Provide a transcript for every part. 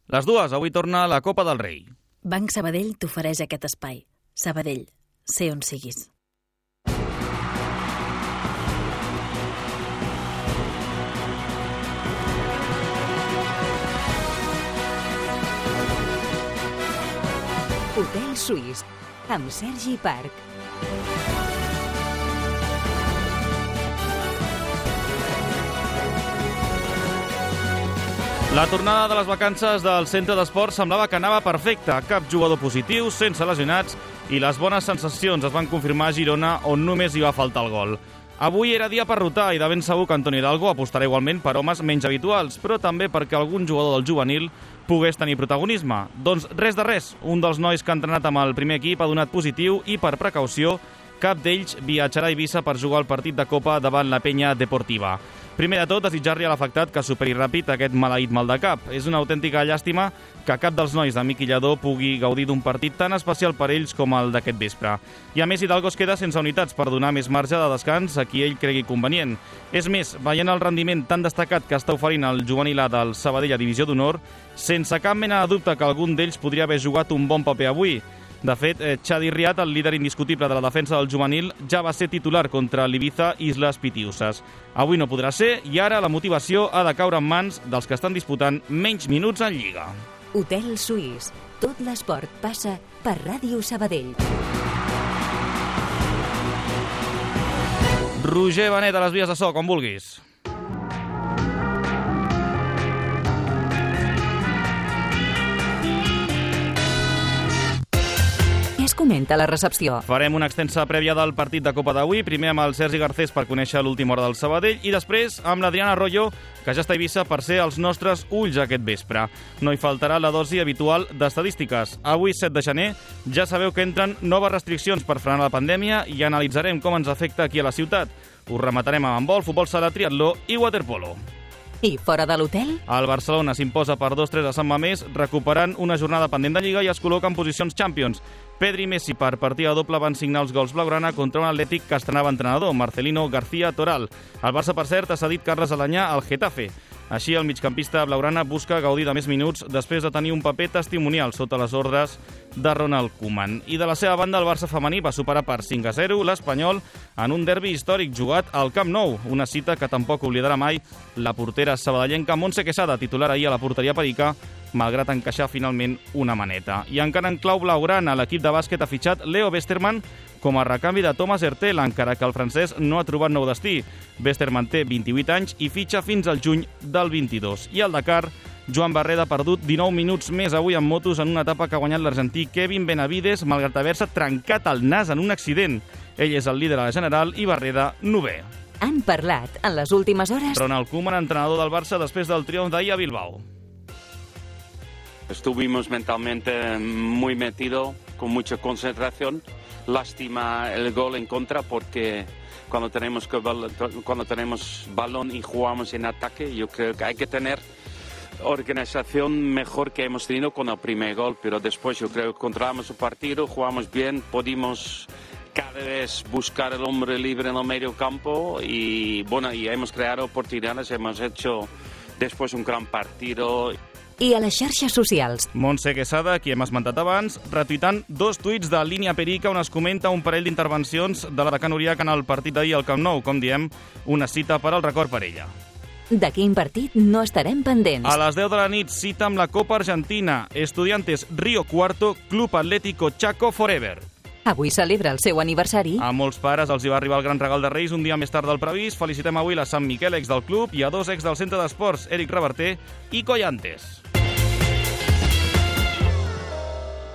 Les dues, avui torna la Copa del Rei. Banc Sabadell t'ofereix aquest espai. Sabadell, sé on siguis. Hotel Suís, amb Sergi Parc. La tornada de les vacances del centre d'esport semblava que anava perfecta. Cap jugador positiu, sense lesionats, i les bones sensacions es van confirmar a Girona, on només hi va faltar el gol. Avui era dia per rotar i de ben segur que Antoni Hidalgo apostarà igualment per homes menys habituals, però també perquè algun jugador del juvenil pogués tenir protagonisme. Doncs res de res, un dels nois que ha entrenat amb el primer equip ha donat positiu i, per precaució, cap d'ells viatjarà a Eivissa per jugar el partit de Copa davant la Penya Deportiva. Primer de tot, desitjar-li a l'afectat que superi ràpid aquest maleït mal de cap. És una autèntica llàstima que cap dels nois de Miqui Lladó pugui gaudir d'un partit tan especial per ells com el d'aquest vespre. I a més, Hidalgo es queda sense unitats per donar més marge de descans a qui ell cregui convenient. És més, veient el rendiment tan destacat que està oferint el juvenil A del Sabadell a Divisió d'Honor, sense cap mena de dubte que algun d'ells podria haver jugat un bon paper avui. De fet, Xadi Riat, el líder indiscutible de la defensa del juvenil, ja va ser titular contra l'Ibiza Islas Pitiusas. Avui no podrà ser i ara la motivació ha de caure en mans dels que estan disputant menys minuts en Lliga. Hotel Suís. Tot l'esport passa per Ràdio Sabadell. Roger Benet, a les vies de so, com vulguis. Comenta la recepció. Farem una extensa prèvia del partit de Copa d'avui, primer amb el Sergi Garcés per conèixer l'última hora del Sabadell i després amb l'Adriana Arroyo, que ja està a Eivissa per ser els nostres ulls aquest vespre. No hi faltarà la dosi habitual d'estadístiques. Avui, 7 de gener, ja sabeu que entren noves restriccions per frenar la pandèmia i analitzarem com ens afecta aquí a la ciutat. Us rematarem amb handbol, futbol sala, triatló i waterpolo. I fora de l'hotel? El Barcelona s'imposa per 2-3 a Sant Mamés, recuperant una jornada pendent de Lliga i es col·loca en posicions Champions. Pedri i Messi per partida doble van signar els gols blaugrana contra un Atlètic que estrenava entrenador, Marcelino García Toral. El Barça, per cert, ha cedit Carles Alanyà al Getafe. Així, el migcampista blaugrana busca gaudir de més minuts després de tenir un paper testimonial sota les ordres de Ronald Koeman. I de la seva banda, el Barça femení va superar per 5-0 l'Espanyol en un derbi històric jugat al Camp Nou, una cita que tampoc oblidarà mai la portera sabadellenca Montse Quesada, titular ahir a la porteria perica, malgrat encaixar finalment una maneta. I encara en clau blaugrana, l'equip de bàsquet ha fitxat Leo Westermann com a recanvi de Thomas Hertel, encara que el francès no ha trobat nou destí. Westermann té 28 anys i fitxa fins al juny del 22. I al Dakar, Joan Barreda ha perdut 19 minuts més avui en motos en una etapa que ha guanyat l'argentí Kevin Benavides, malgrat haver-se trencat el nas en un accident. Ell és el líder a la general i Barreda, 9è. Han parlat en les últimes hores Ronald Koeman, entrenador del Barça després del triomf d'ahir a Bilbao. Estuvimos mentalmente muy metidos, con mucha concentración. Lástima el gol en contra porque cuando tenemos balón y jugamos en ataque, yo creo que hay que tener organización mejor que hemos tenido con el primer gol, pero después yo creo que controlamos el partido, jugamos bien, pudimos cada vez buscar el hombre libre en el medio campo y bueno, y hemos creado oportunidades, hemos hecho después un gran partido. I a les xarxes socials. Montse Quesada, qui hem esmentat abans, retuitant 2 tuits de Línia Perica on es comenta un parell d'intervencions de la de Can Uriac en el partit d'ahir al Camp Nou, com diem, una cita per al record per ella. De quin partit no estarem pendents? A les 10 de la nit, cita amb la Copa Argentina. Estudiantes Río Cuarto, Club Atlético Chaco Forever. Avui celebra el seu aniversari. A molts pares els hi va arribar el gran regal de Reis un dia més tard del previst. Felicitem avui la Sant Miquel, ex del club, i a 2 ex del centre d'esports, Eric Reverter i Collantes.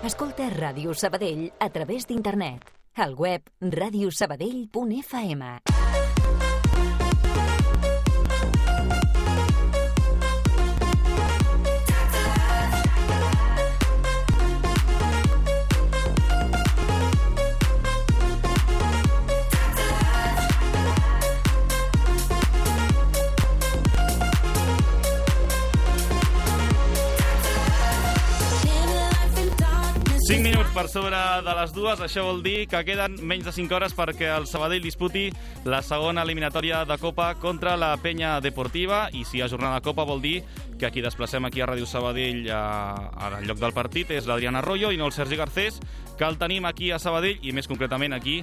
Escolta Ràdio Sabadell a través d'internet. Al web radiosabadell.fm. 5 minuts per sobre de les 2, això vol dir que queden menys de 5 hores perquè el Sabadell disputi la segona eliminatòria de Copa contra la Penya Deportiva, i si hi ha jornada de Copa vol dir que qui desplacem aquí a Ràdio Sabadell al lloc del partit és l'Adrián Arroyo i no el Sergi Garcés, que el tenim aquí a Sabadell i més concretament aquí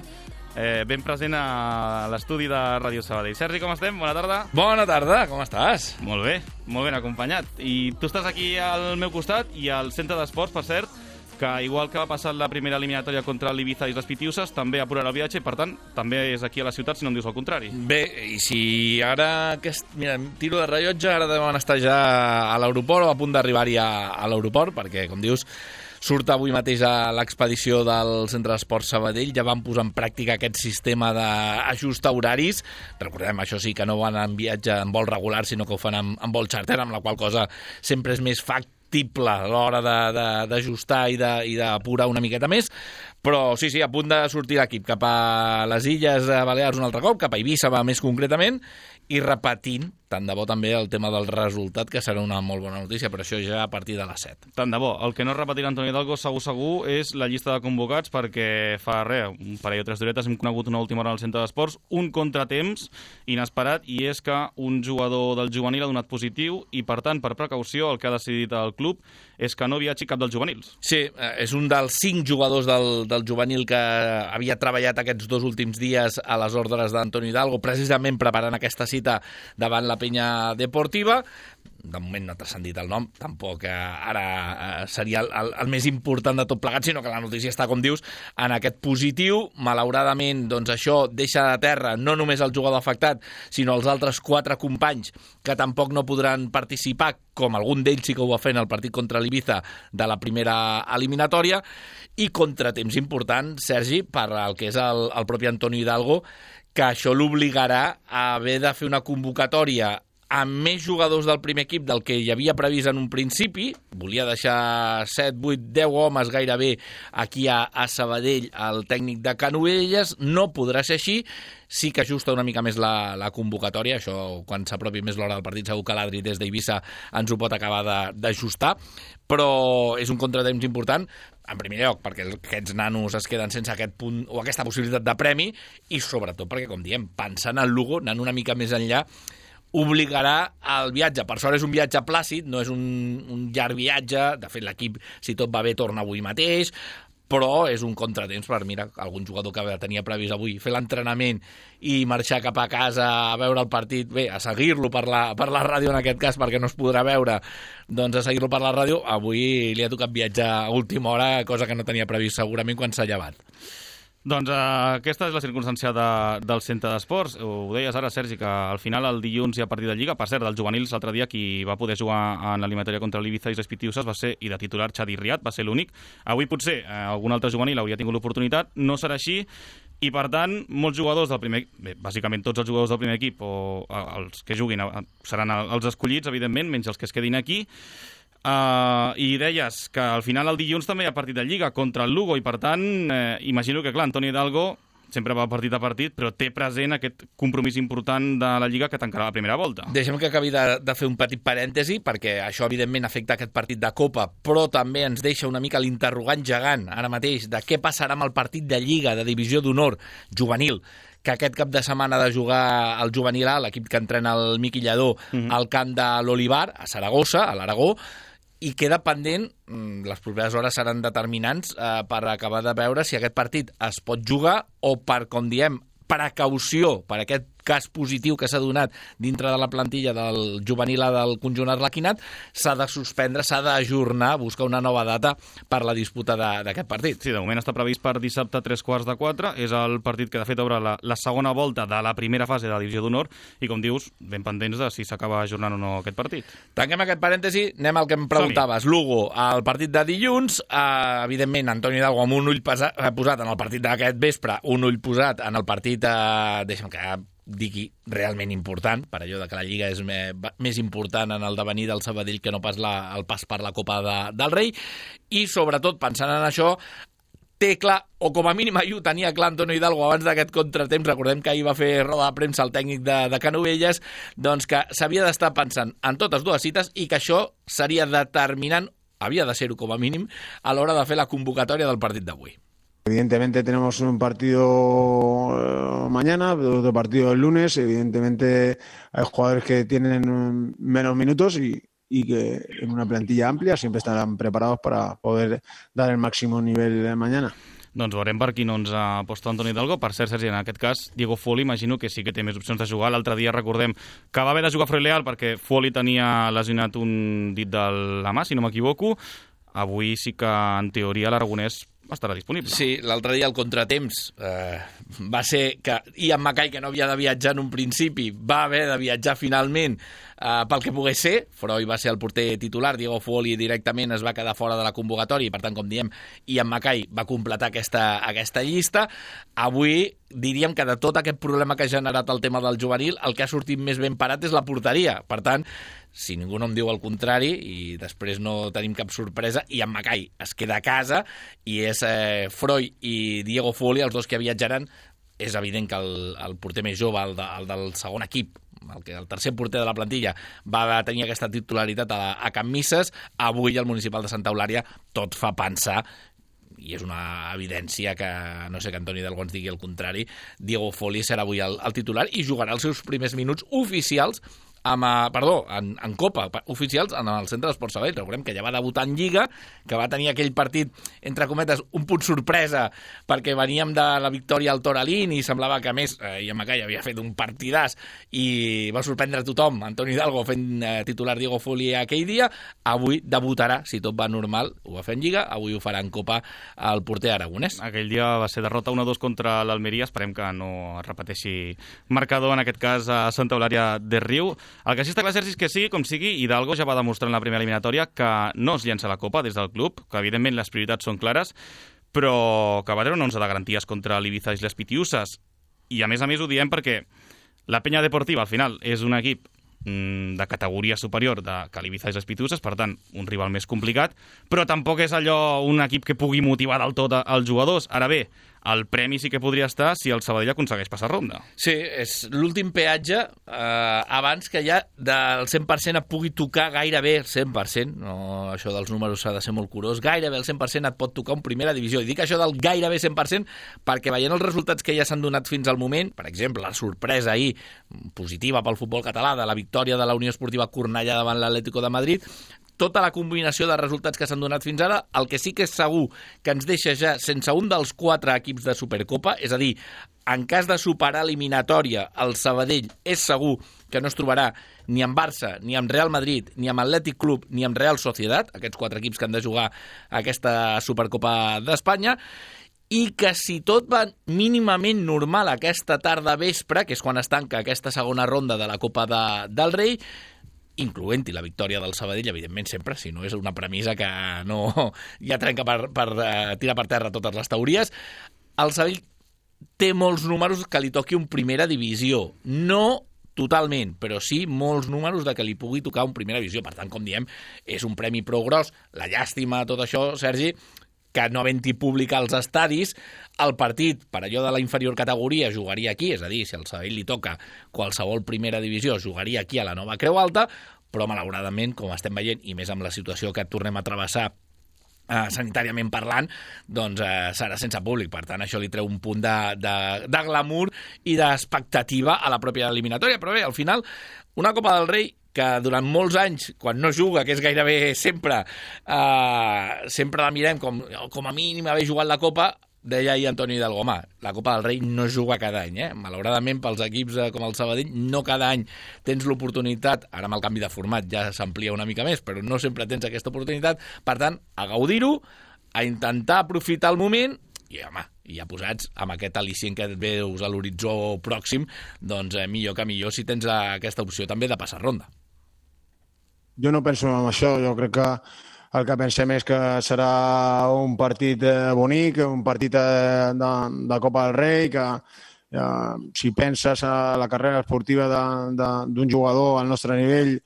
ben present a l'estudi de Ràdio Sabadell. Sergi, com estem? Bona tarda. Bona tarda, com estàs? Molt ben acompanyat. I tu estàs aquí al meu costat i al centre d'esports, per cert, que igual que va passar la primera eliminatòria contra l'Ibiza i les Pitiuses, també apurarà el viatge i, per tant, també és aquí a la ciutat, si no em dius el contrari. Bé, i si ara... Mira, tiro de rellotge, ara deuen estar ja a l'aeroport o a punt d'arribar-hi a l'aeroport, perquè, com dius, surt avui mateix a l'expedició del Centre d'Esports Sabadell, ja van posar en pràctica aquest sistema d'ajustar horaris. Recordem, això sí, que no van en viatge en vol regular, sinó que ho fan en vol charter, amb la qual cosa sempre és més factible a l'hora d'ajustar i d'apurar una miqueta més. Però sí, a punt de sortir l'equip cap a les Illes Balears un altre cop, cap a Eivissa més concretament, i repetint, tant de bo també el tema del resultat, que serà una molt bona notícia, però això ja a partir de les 7. Tant de bo. El que no repetirà Antoni Hidalgo segur és la llista de convocats, perquè fa un parell o 3 d'horetes hem conegut una última hora al centre d'esports, un contratemps inesperat, i és que un jugador del juvenil ha donat positiu i, per tant, per precaució, el que ha decidit el club és que no viatgi cap dels juvenils. Sí, és un dels 5 jugadors del juvenil que havia treballat aquests 2 últims dies a les ordres d'Antoni Hidalgo, precisament preparant aquesta cita davant la Penya Deportiva. De moment no ha transcendit el nom, tampoc ara seria el més important de tot plegat, sinó que la notícia està, com dius, en aquest positiu. Malauradament, doncs això deixa de terra no només el jugador afectat, sinó els altres 4 companys que tampoc no podran participar, com algun d'ells sí que ho va fer en el partit contra l'Ibiza de la primera eliminatòria. I contratemps important, Sergi, per al que és el propi Antoni Hidalgo, que això l'obligarà a haver de fer una convocatòria amb més jugadors del primer equip del que hi havia previst en un principi. Volia deixar 7, 8, 10 homes gairebé aquí a Sabadell, el tècnic de Canovelles. No podrà ser així. Sí que ajusta una mica més la convocatòria. Això, quan s'apropi més l'hora del partit, segur que l'Adri des d'Eivissa ens ho pot acabar d'ajustar. Però és un contratemps important, en primer lloc, perquè aquests nanos es queden sense aquest punt o aquesta possibilitat de premi, i sobretot perquè, com diem, pensant en Lugo, anant una mica més enllà, obligarà al viatge. Per sort és un viatge plàcid, no és un llarg viatge. De fet, l'equip, si tot va bé, torna avui mateix, però és un contratemps per, mira, algun jugador que tenia previst avui fer l'entrenament i marxar cap a casa a veure el partit, bé, a seguir-lo per la ràdio en aquest cas, perquè no es podrà veure, doncs a seguir-lo per la ràdio. Avui li ha tocat viatjar a última hora, cosa que no tenia previst segurament quan s'ha llevat. Doncs aquesta és la circumstància del centre d'esports. Ho deies ara, Sergi, que al final el dilluns hi ha partit de Lliga. Per cert, dels juvenils, l'altre dia qui va poder jugar en l'eliminatòria contra l'Ibiza i les Pitiuses va ser, i de titular, Xavi Riat, va ser l'únic. Avui potser algun altre juvenil hauria tingut l'oportunitat, no serà així, i per tant molts jugadors del primer equip, bàsicament tots els jugadors del primer equip o els que juguin seran els escollits, evidentment, menys els que es quedin aquí. I deies que al final el dilluns també hi ha partit de Lliga contra el Lugo, i per tant imagino que, clar, Antoni Hidalgo sempre va partit a partit, però té present aquest compromís important de la Lliga que tancarà la primera volta. Deixem que acabi de fer un petit parèntesi, perquè això evidentment afecta aquest partit de Copa, però també ens deixa una mica l'interrogant gegant ara mateix de què passarà amb el partit de Lliga, de Divisió d'Honor juvenil, que aquest cap de setmana ha de jugar el juvenil A, l'equip que entrena el Miqui Lladó, al camp de l'Olivar, a Saragossa, a l'Aragó, i queda pendent, les properes hores seran determinants per acabar de veure si aquest partit es pot jugar o, per, com diem, precaució per aquest cas positiu que s'ha donat dintre de la plantilla del juvenil A del conjunt arlequinat, s'ha de suspendre, s'ha d'ajornar, buscar una nova data per la disputa d'aquest partit. Sí, de moment està previst per dissabte a 3:15. És el partit que de fet obre la segona volta de la primera fase de la Divisió d'Honor i, com dius, ben pendents de si s'acaba ajornant o no aquest partit. Tanquem aquest parèntesi, anem al que em preguntaves. Lugo, el partit de dilluns, evidentment Antoni Hidalgo amb un ull posat en el partit d'aquest vespre, un ull posat en el partit, deixa'm que digui, realment important, per allò de que la Lliga és més important en el devenir del Sabadell que no pas el pas per la Copa del Rei, i sobretot pensant en això, té clar, o com a mínim ahir ho tenia clar Antoni Hidalgo abans d'aquest contratemps, recordem que ahir va fer roda de premsa el tècnic de Canovelles, doncs que s'havia d'estar pensant en totes dues cites i que això seria determinant havia de ser-ho com a mínim, a l'hora de fer la convocatòria del partit d'avui. Evidentemente tenemos un partido mañana, otro partido el lunes. Evidentemente hay jugadores que tienen menos minutos y que en una plantilla amplia siempre estarán preparados para poder dar el máximo nivel mañana. Doncs veurem per quin 11 aposta Antoni Hidalgo. Per cert, Sergi, en aquest cas, Diego Foley imagino que sí que té més opcions de jugar. L'altre dia recordem que va haver de jugar Freud Leal perquè Foley tenia lesionat un dit de la mà, si no m'equivoco. Avui sí que, en teoria, l'aragonès estarà disponible. Sí, l'altre dia el contratemps va ser que Ian Mackay, que no havia de viatjar en un principi, va haver de viatjar finalment pel que pogués ser. Freud va ser el porter titular, Diego Foley directament es va quedar fora de la convocatòria i, per tant, com diem, Ian Mackay va completar aquesta llista. Avui diríem que de tot aquest problema que ha generat el tema del juvenil, el que ha sortit més ben parat és la porteria. Per tant, si ningú no em diu el contrari i després no tenim cap sorpresa, Ian Mackay es queda a casa i és Freud i Diego Foley els dos que viatjaran. És evident que el porter més jove, el del segon equip, el tercer porter de la plantilla, va tenir aquesta titularitat a Can Misses. Avui el municipal de Santa Eulària tot fa pensar, i és una evidència que, no sé, que Antoni Hidalgo ens digui el contrari, Diego Foley serà avui el titular i jugarà els seus primers minuts oficials en Copa, oficials en el Centre d'Esports Sabadell. Recordem que ja va debutar en Lliga, que va tenir aquell partit, entre cometes, un punt sorpresa, perquè veníem de la victòria al Toralín i semblava que, a més, Ian Mackay havia fet un partidàs i va sorprendre a tothom, Antoni Hidalgo fent titular Diego Foley aquell dia. Avui debutarà, si tot va normal, ho va fer en Lliga, avui ho farà en Copa el porter aragonès. Aquell dia va ser derrota 1-2 contra l'Almeria, esperem que no es repeteixi marcador, en aquest cas a Santa Eulària de Riu. El que sí està clar, Sergi, és que sigui com sigui, Hidalgo ja va demostrar en la primera eliminatòria que no es llença la Copa des del club, que evidentment les prioritats són clares, però que va treure un 11 de garanties contra l'Ibiza i les Pitiuses. I a més ho diem perquè la Penya Deportiva al final és un equip de categoria superior que l'Ibiza i les Pitiuses, per tant, un rival més complicat, però tampoc és allò un equip que pugui motivar del tot els jugadors. Ara bé, el premi sí que podria estar si el Sabadell aconsegueix passar ronda. Sí, és l'últim peatge abans que ja del 100% et pugui tocar gairebé el 100%, no, això dels números s'ha de ser molt curós, gairebé el 100% et pot tocar en primera divisió. I dic això del gairebé 100% perquè veient els resultats que ja s'han donat fins al moment, per exemple, la sorpresa ahir positiva pel futbol català de la victòria de la Unió Esportiva Cornellà davant l'Atlético de Madrid, tota la combinació de resultats que s'han donat fins ara, el que sí que és segur que ens deixa ja sense un dels 4 equips de Supercopa, és a dir, en cas de superar eliminatòria, el Sabadell és segur que no es trobarà ni amb Barça, ni amb Real Madrid, ni amb Atlètic Club, ni amb Real Sociedad, aquests 4 equips que han de jugar aquesta Supercopa d'Espanya, i que si tot va mínimament normal aquesta tarda vespre, que és quan es tanca aquesta segona ronda de la Copa del Rei, incloent-hi la victòria del Sabadell, evidentment sempre, si no és una premissa que no ja trenca per tirar per terra totes les teories, el Sabadell té molts números que li toqui un primera divisió. No totalment, però sí molts números de que li pugui tocar un primera divisió. Per tant, com diem, és un premi prou gros. La llàstima, tot això, Sergi, que no havent-hi públic als estadis, el partit, per allò de la inferior categoria, jugaria aquí, és a dir, si al Sabadell li toca qualsevol primera divisió, jugaria aquí a la nova Creu Alta, però malauradament, com estem veient, i més amb la situació que tornem a travessar sanitàriament parlant, doncs serà sense públic. Per tant, això li treu un punt de glamour i d'expectativa a la pròpia eliminatòria. Però bé, al final, una Copa del Rei que durant molts anys, quan no juga, que és gairebé sempre, sempre la mirem com a mínim haver jugat la Copa, deia ahir Antoni Hidalgo, home, la Copa del Rei no es juga cada any, Malauradament, pels equips com el Sabadell, no cada any tens l'oportunitat, ara amb el canvi de format ja s'amplia una mica més, però no sempre tens aquesta oportunitat, per tant, a gaudir-ho, a intentar aprofitar el moment, i home, ja posats amb aquest al·licient que et veus a l'horitzó pròxim, doncs millor que millor si tens aquesta opció també de passar ronda. Jo no penso en això, jo crec que el que pensem és que serà un partit bonic, un partit de Copa del Rei, que si penses a la carrera esportiva d'un jugador al nostre nivell,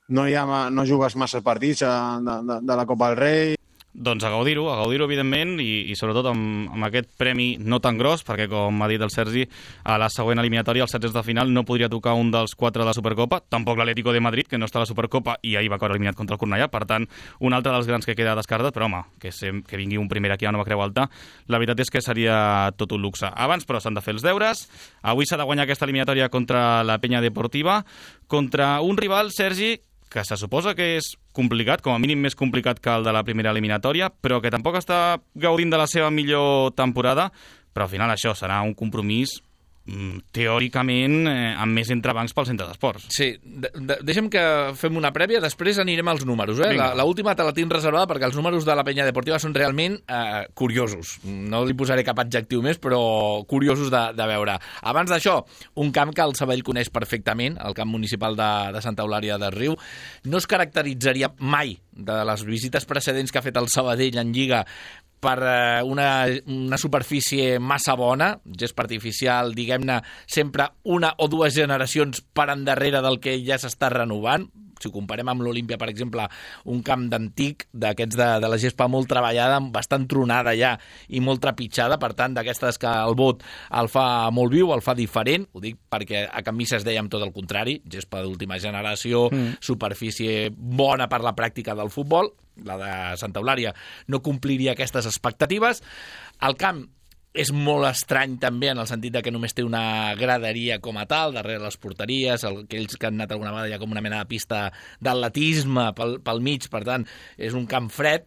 no jugues massa partits de la Copa del Rei. Doncs a gaudir-ho, evidentment, i sobretot amb aquest premi no tan gros, perquè, com ha dit el Sergi, a la següent eliminatòria, als 16 de final, no podria tocar un dels 4 de la Supercopa, tampoc l'Atlético de Madrid, que no està a la Supercopa i ahir va caure eliminat contra el Cornellà, per tant, un altre dels grans que queda descartat, però home, que vingui un primer aquí a Nova Creu Alta, la veritat és que seria tot un luxe. Abans, però, s'han de fer els deures. Avui s'ha de guanyar aquesta eliminatòria contra la Penya Deportiva, contra un rival, Sergi, que se suposa que és complicat, com a mínim més complicat que el de la primera eliminatòria, però que tampoc està gaudint de la seva millor temporada, però al final això serà un compromís teòricament amb més entrebancs pel centre d'esports. Sí, deixa'm que fem una prèvia, després anirem als números. L'última te la tinc reservada perquè els números de la Penya Deportiva són realment curiosos. No li posaré cap adjectiu més, però curiosos de veure. Abans d'això, un camp que el Sabadell coneix perfectament, el camp municipal de Santa Eulària des Riu, no es caracteritzaria mai de les visites precedents que ha fet el Sabadell en Lliga per una superfície massa bona, gest artificial, diguem-ne, sempre una o dues generacions per endarrere del que ja s'està renovant. Si ho comparem amb l'Olímpia, per exemple, un camp d'antic, d'aquests de la gespa molt treballada, bastant tronada ja i molt trepitjada, per tant, d'aquestes que el vot el fa molt viu, el fa diferent, ho dic perquè a Can Misses dèiem tot el contrari, gespa d'última generació, superfície bona per la pràctica del futbol, la de Santa Eulària no compliria aquestes expectatives. El camp és molt estrany també en el sentit que només té una graderia com a tal, darrere les porteries, aquells que han anat alguna vegada hi ha com una mena de pista d'atletisme pel mig, per tant, és un camp fred,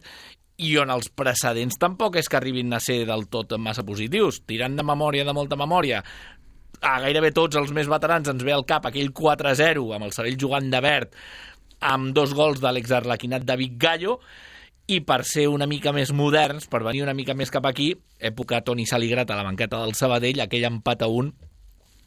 i on els precedents tampoc és que arribin a ser del tot massa positius. Tirant de memòria, de molta memòria, a gairebé tots els més veterans ens ve al cap aquell 4-0 amb el Sabadell jugant de verd, amb 2 gols de l'exarlequinat David Gallo, i per ser una mica més moderns, per venir una mica més cap aquí, època Toni Saligrat a la banqueta del Sabadell, aquell empat a 1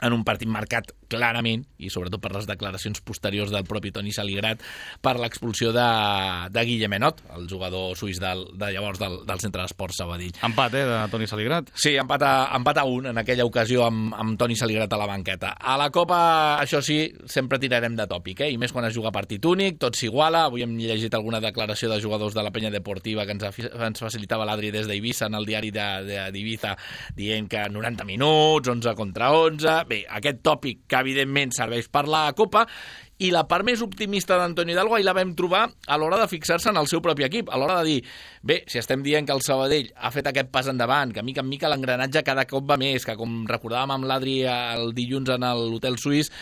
en un partit marcat clarament, i sobretot per les declaracions posteriors del propi Toni Saligrat, per l'expulsió de Guillem Enot, el jugador suís de llavors del Centre d'Esports Sabadell. Empat, de Toni Saligrat? Sí, empat a 1 en aquella ocasió amb Toni Saligrat a la banqueta. A la Copa, això sí, sempre tirarem de tòpic, i més quan es juga partit únic, tot s'iguala. Avui hem llegit alguna declaració de jugadors de la Penya Deportiva que ens facilitava l'Adri des d'Eivissa en el diari d'Ibiza, dient que 90 minuts, 11 contra 11... Bé, aquest tòpic que evidentment serveix per la Copa, i la part més optimista d'Antonio Hidalgo ahir la vam trobar a l'hora de fixar-se en el seu propi equip, a l'hora de dir, bé, si estem dient que el Sabadell ha fet aquest pas endavant, que mica en mica l'engranatge cada cop va més, que com recordàvem amb l'Adri el dilluns en l'hotel suís,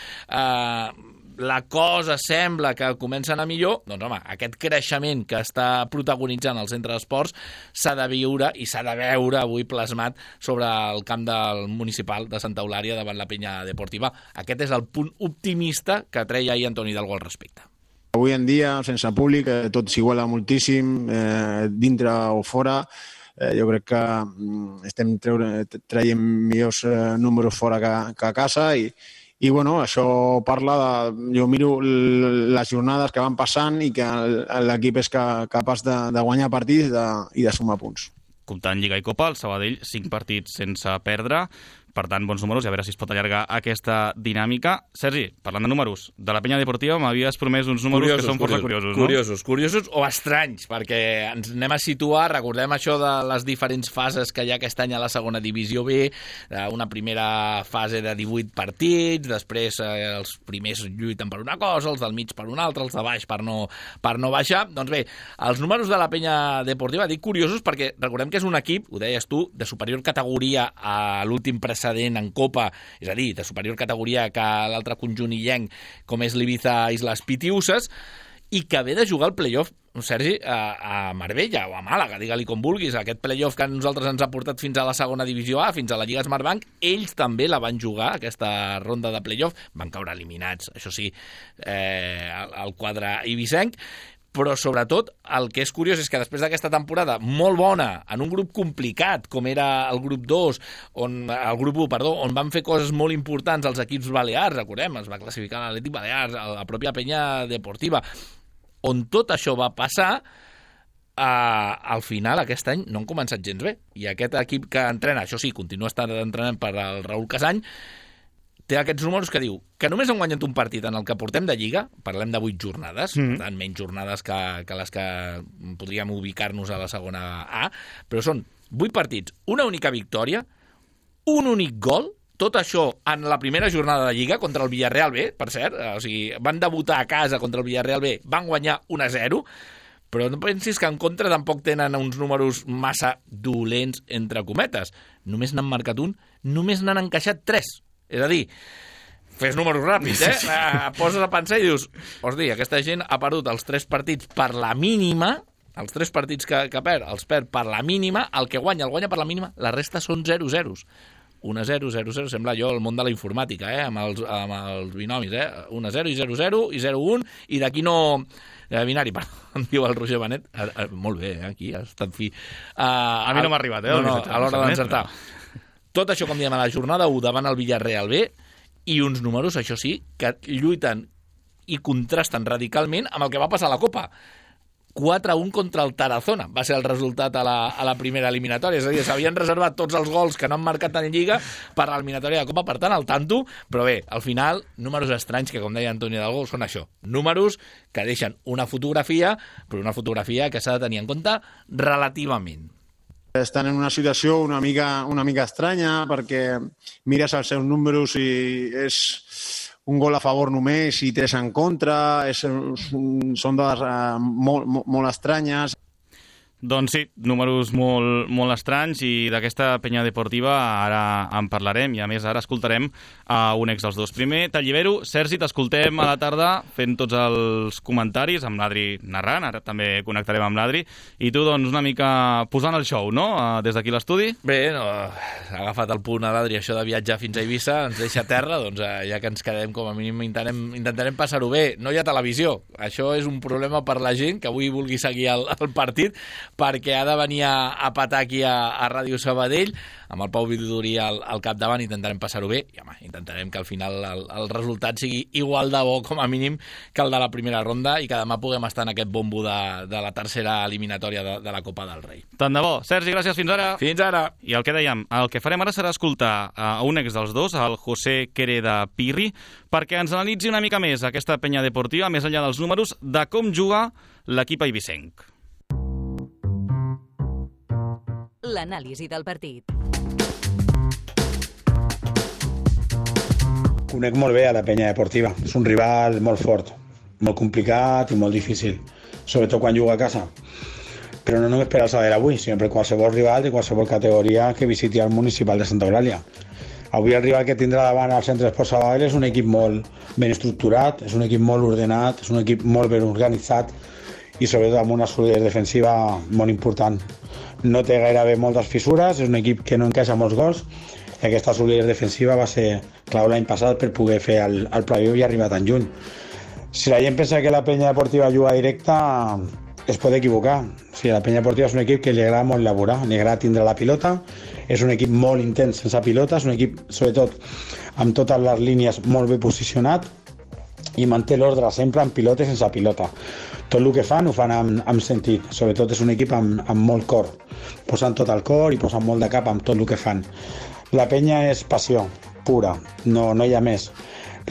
la cosa sembla que comença a anar millor, doncs home, aquest creixement que està protagonitzant el centre d'esports s'ha de viure i s'ha de veure avui plasmat sobre el camp del municipal de Santa Eulària davant la Penya Deportiva. Aquest és el punt optimista que treia ahir Antoni Hidalgo al respecte. Avui en dia, sense públic, tot s'iguala moltíssim, dintre o fora. Jo crec que estem traient millors números fora que a casa i bueno, això parla de... Jo miro les jornades que van passant i que l'equip és capaç de guanyar partits i de sumar punts. Comptant Lliga i Copa, el Sabadell 5 partits sense perdre, per tant, bons números, i a veure si es pot allargar aquesta dinàmica. Sergi, parlant de números, de la Penya Deportiva m'havies promès uns números que són força curiosos, no? Curiosos o estranys, perquè ens anem a situar, recordem això de les diferents fases que hi ha aquest any a la segona divisió B, una primera fase de 18 partits, després els primers lluiten per una cosa, els del mig per una altra, els de baix per no baixar. Doncs bé, els números de la Penya Deportiva, dic curiosos perquè recordem que és un equip, ho deies tu, de superior categoria a l'últim precedent en Copa, és a dir, de superior categoria que l'altre conjunt illenc, com és l'Ibiza Islas Pitiuses, i que ve de jugar el play-off, Sergi, a Marbella o a Màlaga, digue-li com vulguis. Aquest play-off que a nosaltres ens ha portat fins a la segona divisió A, fins a la Lliga Smartbank, ells també la van jugar, aquesta ronda de play-off, van caure eliminats, això sí, el quadre ibicenc, però sobretot el que és curiós és que després d'aquesta temporada molt bona, en un grup complicat com era el grup 2, el grup 1, on van fer coses molt importants els equips balears, recordem, es va classificar l'Atlètic Balears, la pròpia Penya Deportiva, on tot això va passar, al final aquest any no han començat gens bé, i aquest equip que entrena, això sí, continua estant entrenant per al Raül Casany, té aquests números que diu que només han guanyat un partit en el que portem de Lliga, parlem de 8 jornades, per tant, menys jornades que les que podríem ubicar-nos a la segona A, però són 8 partits, una única victòria, un únic gol, tot això en la primera jornada de Lliga contra el Villarreal B, per cert, o sigui, van debutar a casa contra el Villarreal B, van guanyar 1-0, però no pensis que en contra tampoc tenen uns números massa dolents, entre cometes. Només n'han marcat un, només n'han encaixat 3. És a dir, fes números ràpids, poses a pensar i dius, hosti, aquesta gent ha perdut els 3 partits per la mínima, els 3 partits que perd, els perd per la mínima, el que guanya, el guanya per la mínima, la resta són 0-0. 1-0, 0-0, sembla jo el món de la informàtica, amb els binomis, 1-0 i 0-0 i 0-1, i d'aquí no... binari, em diu el Roger Benet. Molt bé, aquí ha estat fi. A mi no m'ha arribat, No, a l'hora d'encertar. Tot això, com diem, a la jornada 1 davant el Villarreal B, i uns números, això sí, que lluiten i contrasten radicalment amb el que va passar a la Copa. 4-1 contra el Tarazona va ser el resultat a la primera eliminatòria, és a dir, s'havien reservat tots els gols que no han marcat en Lliga per a l'eliminatòria de Copa, per tant, al tanto, però bé, al final, números estranys que, com deia Antonio Hidalgo, són això, números que deixen una fotografia, però una fotografia que s'ha de tenir en compte relativament. Estan en una situació una mica estranya perquè mires els seus números i és un gol a favor només i 3 en contra, són dades molt estranyes. Doncs sí, números molt estranys, i d'aquesta penya deportiva ara en parlarem, i a més ara escoltarem a un ex dels dos. Primer, Tallibero, Sergi, t'escoltem a la tarda fent tots els comentaris, amb l'Adri narrant, ara també connectarem amb l'Adri, i tu doncs una mica posant el show, no?, des d'aquí l'estudi. Bé, ha agafat el punt a l'Adri, això de viatjar fins a Eivissa, ens deixa a terra, doncs ja que ens quedem com a mínim intentarem passar-ho bé. No hi ha televisió, això és un problema per la gent que avui vulgui seguir el partit, perquè ha de venir a petar aquí a Ràdio Sabadell, amb el Pau Vidurí al capdavant. Intentarem passar-ho bé, i home, intentarem que al final el resultat sigui igual de bo, com a mínim, que el de la primera ronda, i que demà puguem estar en aquest bombo de la tercera eliminatòria de la Copa del Rei. Tant de bo. Sergi, gràcies, fins ara. Fins ara. I el que dèiem, el que farem ara serà escoltar a un ex dels dos, el José Quereda Pirri, perquè ens analitzi una mica més aquesta penya deportiva, més enllà dels números, de com juga l'equip eivissenc. L'anàlisi del partit. Conec molt bé a la penya deportiva. És un rival molt fort, molt complicat i molt difícil, sobretot quan juga a casa. Però no només per al Sabadell avui, sinó per qualsevol rival de qualsevol categoria que visiti el municipal de Santa Eulàlia. Avui el rival que tindrà davant al Centre d'Esports Sabadell és un equip molt ben estructurat, és un equip molt ordenat, és un equip molt ben organitzat i sobretot amb una solidesa defensiva molt important. No té gairebé moltes fissures, és un equip que no encaixa molts gols, i aquesta solidesa defensiva va ser clau l'any passat per poder fer el playoff i arribar tan lluny. Si la gent pensa que la penya deportiva juga directa, es pot equivocar. O sigui, la penya deportiva és un equip que li agrada molt elaborar, li agrada tindre la pilota, és un equip molt intens sense pilota, és un equip, sobretot, amb totes les línies molt ben posicionat, i manté l'ordre sempre amb pilota i sense pilota. Tot el que fan ho fan amb sentit, sobretot és un equip amb molt cor, posant tot el cor i posant molt de cap amb tot el que fan. La penya és passió pura, no hi ha més.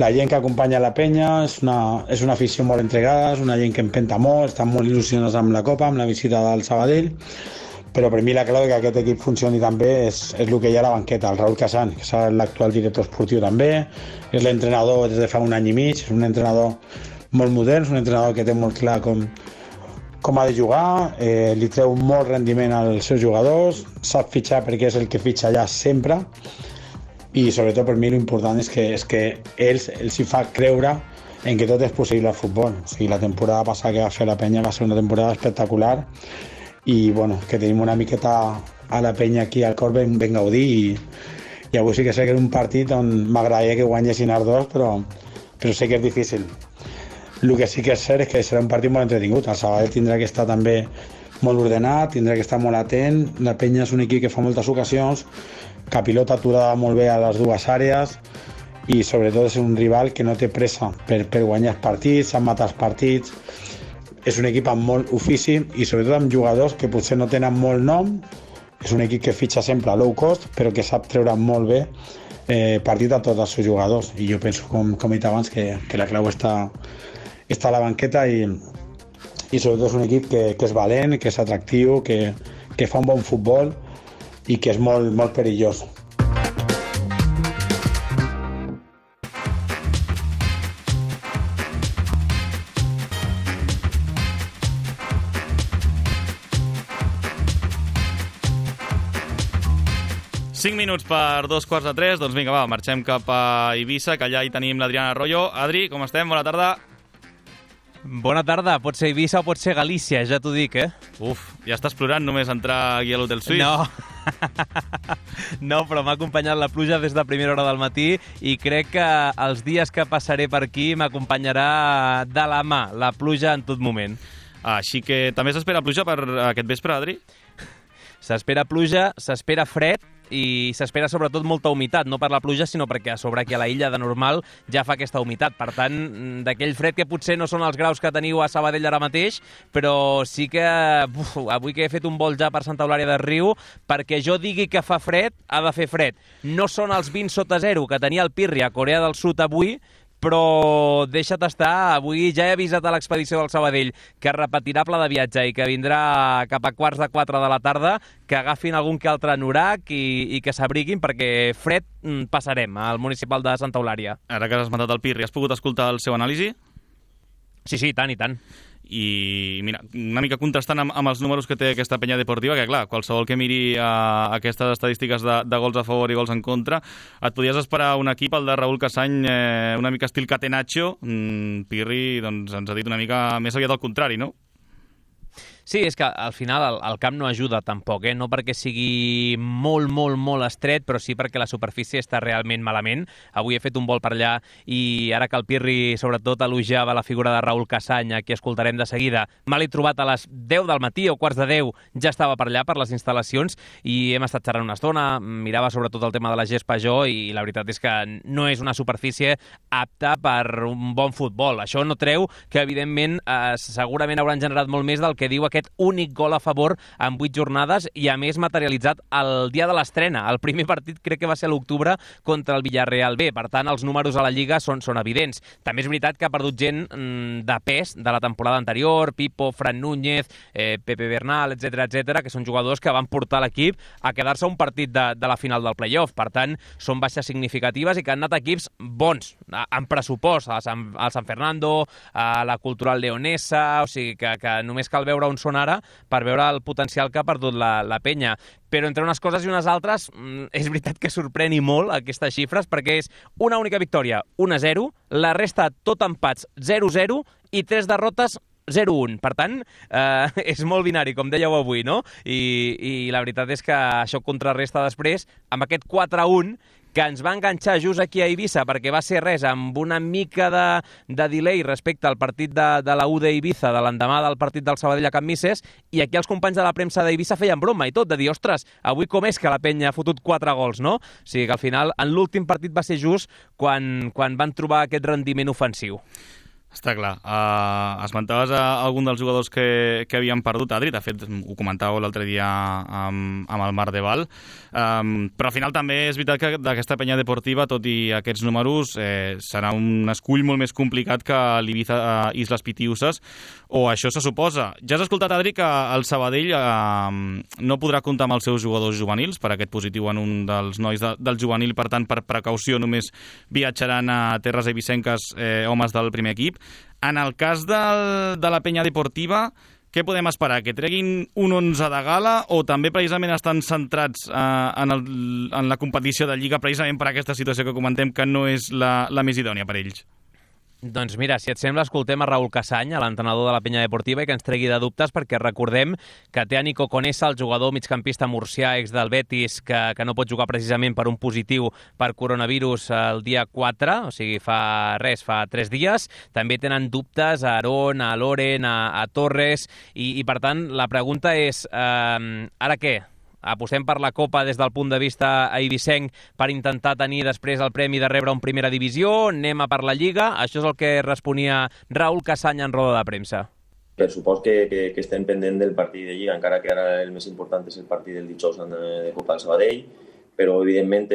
La gent que acompanya la penya és una afició molt entregada, és una gent que empenta molt, estan molt il·lusionats amb la Copa, amb la visita del Sabadell, però per mi la clau que aquest equip funcioni també és el que hi ha a la banqueta. El Raúl Casán, que és l'actual director esportiu també, és l'entrenador des de fa un any i mig, és un entrenador molt modern, és un entrenador que té molt clar com ha de jugar, li treu molt rendiment als seus jugadors, sap fitxar perquè és el que fitxa allà sempre, i sobretot per mi l'important és que ells hi fa creure en que tot és possible al futbol. O sigui, la temporada passada que va fer la penya va ser una temporada espectacular, i bueno, que tenim una miqueta a la penya aquí al cor ben gaudir, i avui sí que sé que era un partit on m'agradaria que guanyessin els dos, però sé que és difícil. El que sí que és cert és que serà un partit molt entretingut. El Sabadell tindrà que estar també molt ordenat, tindrà que estar molt atent. La penya és un equip que fa moltes ocasions, que pilota aturada molt bé a les dues àrees, i sobretot és un rival que no té pressa per guanyar els partits, sap matar els partits. És un equip amb molt ofici i sobretot amb jugadors que potser no tenen molt nom. És un equip que fitxa sempre a low cost, però que sap treure molt bé partit a tots els seus jugadors, i jo penso, com he dit abans, que la clau està a la banqueta, i sobretot és un equip que és valent, que és atractiu, que fa un bon futbol i que és molt, molt perillós. Cinc minuts per 2:45, doncs vinga, va, marxem cap a Eivissa, que allà hi tenim l'Adrián Arroyo. Adri, com estem? Bona tarda. Bona tarda, pot ser Eivissa o pot ser Galícia, ja t'ho dic, Uf, ja estàs plorant només entrar aquí a l'Hotel Suís. No, no, però m'ha acompanyat la pluja des de primera hora del matí i crec que els dies que passaré per aquí m'acompanyarà de la mà la pluja en tot moment. Així que també s'espera pluja per aquest vespre, Adri? S'espera pluja, s'espera fred i s'espera sobretot molta humitat, no per la pluja, sinó perquè a sobre aquí a la illa de normal ja fa aquesta humitat. Per tant, d'aquell fred que potser no són els graus que teniu a Sabadell ara mateix, però sí que avui que he fet un vol ja per Santa Eulària des Riu, perquè jo digui que fa fred, ha de fer fred. No són els 20 sota zero que tenia el Pirri a Corea del Sud avui, però deixa't estar, avui ja he avisat a l'expedició del Sabadell que repetirà pla de viatge i que vindrà cap a 3:15 de la tarda, que agafin algun que altre anorac i que s'abriguin, perquè fred passarem al municipal de Santa Eulària. Ara que has esmentat el Pirri, has pogut escoltar el seu anàlisi? Sí, tant i tant. I mira, una mica contrastant amb els números que té aquesta penya deportiva, que clar, qualsevol que miri aquestes estadístiques de gols a favor i gols en contra, et podies esperar un equip, el de Raúl Casany, una mica estil Catenaccio. Pirri doncs, ens ha dit una mica més aviat al contrari, no? Sí, és que al final el camp no ajuda tampoc, no perquè sigui molt estret, però sí perquè la superfície està realment malament. Avui he fet un vol per allà i ara que el Pirri sobretot elogiava la figura de Raúl Casany, que escoltarem de seguida, me l'he trobat a les 10 del matí o 9:15, ja estava per allà, per les instal·lacions, i hem estat xerrant una estona, mirava sobretot el tema de la gespa jo, i la veritat és que no és una superfície apta per un bon futbol. Això no treu que, evidentment, segurament hauran generat molt més del que diu aquest únic gol a favor en 8 jornades i, a més, materialitzat el dia de l'estrena. El primer partit crec que va ser a l'octubre contra el Villarreal B. Per tant, els números a la Lliga són evidents. També és veritat que ha perdut gent de pes de la temporada anterior, Pipo, Fran Núñez, Pepe Bernal, etc, que són jugadors que van portar l'equip a quedar-se un partit de la final del playoff. Per tant, són baixes significatives i que han anat equips bons, en pressupost, a San Fernando, a la Cultural Leonesa, o sigui que només cal veure on són ara per veure el potencial que ha perdut la penya. Però entre unes coses i unes altres, és veritat que sorprèn i molt aquestes xifres, perquè és una única victòria, 1-0, la resta tot empats, 0-0, i 3 derrotes, 0-1. Per tant, és molt binari, com dèieu avui, no? I la veritat és que això contrarresta després amb aquest 4-1 que ens va enganxar just aquí a Eivissa, perquè va ser res, amb una mica de delay respecte al partit de la U d'Eivissa, de l'endemà del partit del Sabadell a Can Misses, i aquí els companys de la premsa d'Eivissa feien broma i tot, de dir, ostres, avui com és que la penya ha fotut 4 gols, no? O sigui que al final, en l'últim partit va ser just quan van trobar aquest rendiment ofensiu. Està clar. Esmentaves algun dels jugadors que havien perdut, Adri, de fet ho comentàveu l'altre dia amb el Marc de Val, però al final també és veritat que d'aquesta penya deportiva, tot i aquests números, serà un escull molt més complicat que l'Ibiza Islas Pitiusas, o això se suposa. Ja has escoltat, Adri, que el Sabadell no podrà comptar amb els seus jugadors juvenils per aquest positiu en un dels nois del juvenil, per tant, per precaució només viatjaran a terres eivissenques homes del primer equip. En el cas de la penya deportiva, què podem esperar? Que treguin un 11 de gala o també precisament estan centrats en la competició de Lliga precisament per aquesta situació que comentem que no és la més idònia per ells? Doncs mira, si et sembla, escoltem a Raúl Casany, l'entrenador de la penya deportiva, i que ens tregui de dubtes, perquè recordem que té a Nico Conesa, el jugador migcampista murcià, ex del Betis, que no pot jugar precisament per un positiu per coronavirus el dia 4, o sigui, fa 3 dies. També tenen dubtes a Aarón, a Loren, a Torres, i per tant, la pregunta és, ara què? Apostem per la Copa des del punt de vista eivissenc per intentar tenir després el premi de rebre un primera divisió, anem a per la Lliga. Això és el que responia Raúl Casany en roda de premsa. Per supost que estem pendent del partit de Lliga, encara que ara el més important és el partit del dijous de Copa del Sabadell, però evidentment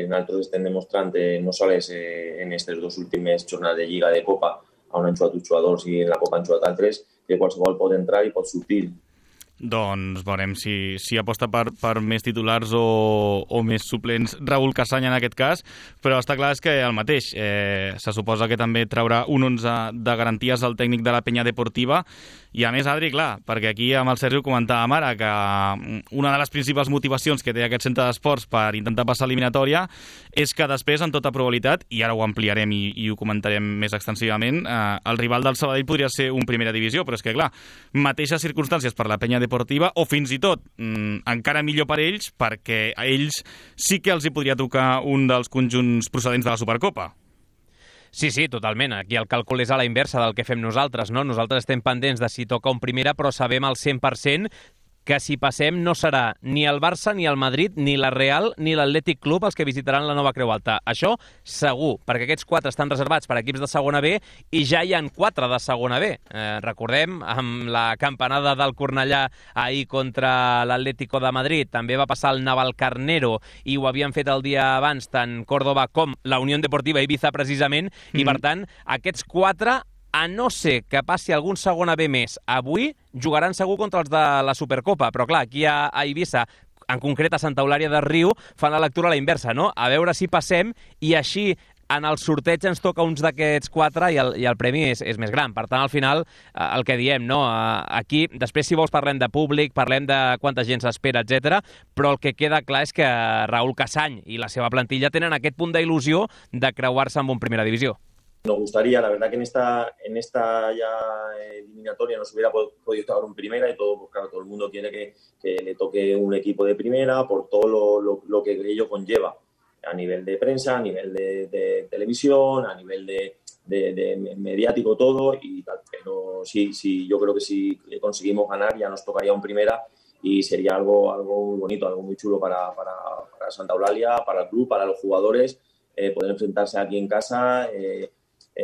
nosaltres estem demostrant no sols en aquestes 2 últimes jornades de Lliga de Copa on han jugat uns jugadors i en la Copa han jugat altres, que qualsevol pot entrar i pot sortir. Doncs veurem si aposta per més titulars o més suplents Raül Casany en aquest cas, però està clar que el mateix. Se suposa que també traurà un 11 de garanties al tècnic de la Penya Deportiva, i a més, Adri, clar, perquè aquí amb el Sergi ho comentàvem ara, que una de les principals motivacions que té aquest centre d'esports per intentar passar eliminatòria és que després, en tota probabilitat, i ara ho ampliarem i ho comentarem més extensivament, el rival del Sabadell podria ser un primera divisió, però és que, clar, mateixes circumstàncies per la Penya Deportiva, o fins i tot encara millor per ells, perquè a ells sí que els hi podria tocar un dels conjunts procedents de la Supercopa. Sí, totalment. Aquí el càlcul és a la inversa del que fem nosaltres, no? Nosaltres estem pendents de si toca un primera, però sabem al 100% que si passem no serà ni el Barça, ni el Madrid, ni la Real, ni l'Atlètic Club els que visitaran la nova Creu Alta. Això segur, perquè aquests 4 estan reservats per equips de segona B i ja hi han 4 de segona B. Recordem, amb la campanada del Cornellà ahir contra l'Atlético de Madrid, també va passar el Navalcarnero i ho havien fet el dia abans tant Córdoba com la Unió Deportiva Ibiza precisament, i per tant, aquests 4, a no ser que passi algun segona B més avui, jugaran segur contra els de la Supercopa. Però clar, aquí a Eivissa, en concret a Santa Eulàlia de Riu, fan la lectura a la inversa, no? A veure si passem i així en el sorteig ens toca uns d'aquests 4 i el premi és més gran. Per tant, al final, el que diem, no? Aquí, després, si vols, parlem de públic, parlem de quanta gent s'espera, etc. Però el que queda clar és que Raül Casany i la seva plantilla tenen aquest punt d'il·lusió de creuar-se amb un primera divisió. Nos gustaría, la verdad que en esta ya eliminatoria nos hubiera podido tocar un primera y todo, pues claro, todo el mundo quiere que le toque un equipo de primera por todo lo que ello conlleva a nivel de prensa, a nivel de televisión, a nivel de mediático, todo y tal. Pero sí, yo creo que si conseguimos ganar ya nos tocaría un primera y sería algo muy bonito, algo muy chulo para Santa Eulalia, para el club, para los jugadores, poder enfrentarse aquí en casa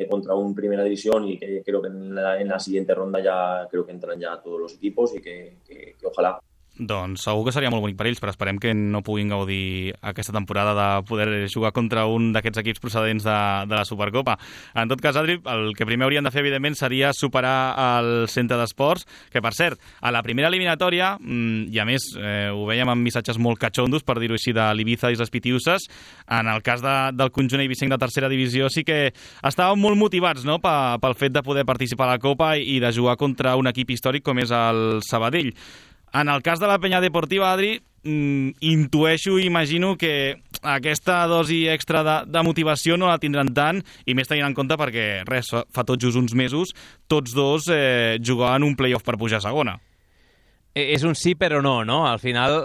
contra un primera división, y que creo que en la siguiente ronda ya creo que entran ya todos los equipos y que ojalá. Doncs segur que seria molt bonic per ells, però esperem que no puguin gaudir aquesta temporada de poder jugar contra un d'aquests equips procedents de la Supercopa. En tot cas, Adri, el que primer haurien de fer, evidentment, seria superar el centre d'esports, que, per cert, a la primera eliminatòria, i a més ho veiem amb missatges molt catxondos, per dir-ho així, de l'Ibiza i les Pitiuses, en el cas del conjunt eivissenc de tercera divisió sí que estaven molt motivats, no?, pel fet de poder participar a la Copa i de jugar contra un equip històric com és el Sabadell. En el cas de la Penya Deportiva, Adri, intueixo i imagino que aquesta dosi extra de motivació no la tindran tant, i més tenint en compte perquè, fa tot just uns mesos, tots dos jugaven un play-off per pujar a segona. És un sí però no, no? Al final,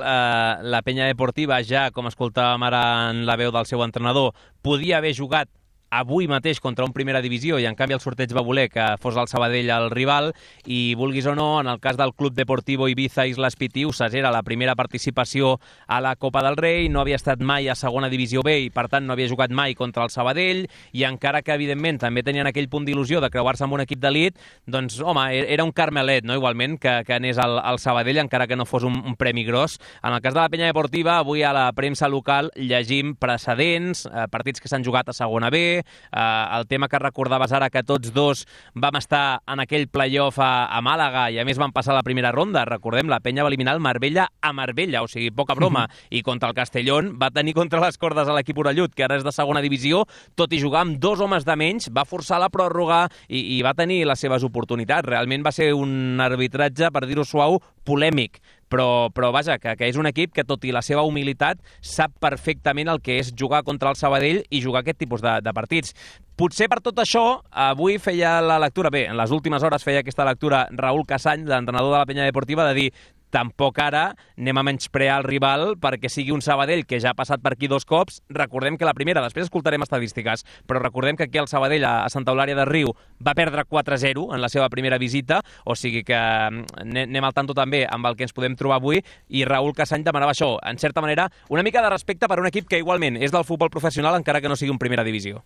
la Penya Deportiva ja, com escoltàvem ara en la veu del seu entrenador, podia haver jugat avui mateix contra un primera divisió, i en canvi el sorteig va voler que fos el Sabadell el rival, i vulguis o no, en el cas del Club Deportivo Ibiza Islas Pitiusas era la primera participació a la Copa del Rei, no havia estat mai a segona divisió B i per tant no havia jugat mai contra el Sabadell, i encara que evidentment també tenien aquell punt d'il·lusió de creuar-se amb un equip d'elit, doncs home, era un carmelet, no? Igualment que anés al Sabadell, encara que no fos un premi gros. En el cas de la Penya Deportiva, avui a la premsa local llegim precedents, partits que s'han jugat a segona B, el tema que recordaves ara, que tots dos vam estar en aquell play-off a Màlaga i a més van passar la primera ronda. Recordem, la Penya va eliminar el Marbella a Marbella, o sigui, poca broma, i contra el Castellón va tenir contra les cordes a l'equip orellut, que ara és de segona divisió, tot i jugar amb 2 homes de menys, va forçar la pròrroga i va tenir les seves oportunitats. Realment va ser un arbitratge, per dir-ho suau, polèmic, però vaja, que és un equip que, tot i la seva humilitat, sap perfectament el que és jugar contra el Sabadell i jugar aquest tipus de partits. Potser per tot això, avui feia la lectura, bé, en les últimes hores feia aquesta lectura Raül Casany, l'entrenador de la Penya Deportiva, de dir: tampoc ara anem a menysprear el rival perquè sigui un Sabadell que ja ha passat per aquí 2 cops. Recordem que la primera, després escoltarem estadístiques, però recordem que aquí el Sabadell a Santa Eulàlia de Riu va perdre 4-0 en la seva primera visita, o sigui que anem al tanto també amb el que ens podem trobar avui, i Raül Casany demanava això, en certa manera, una mica de respecte per un equip que igualment és del futbol professional, encara que no sigui un primera divisió.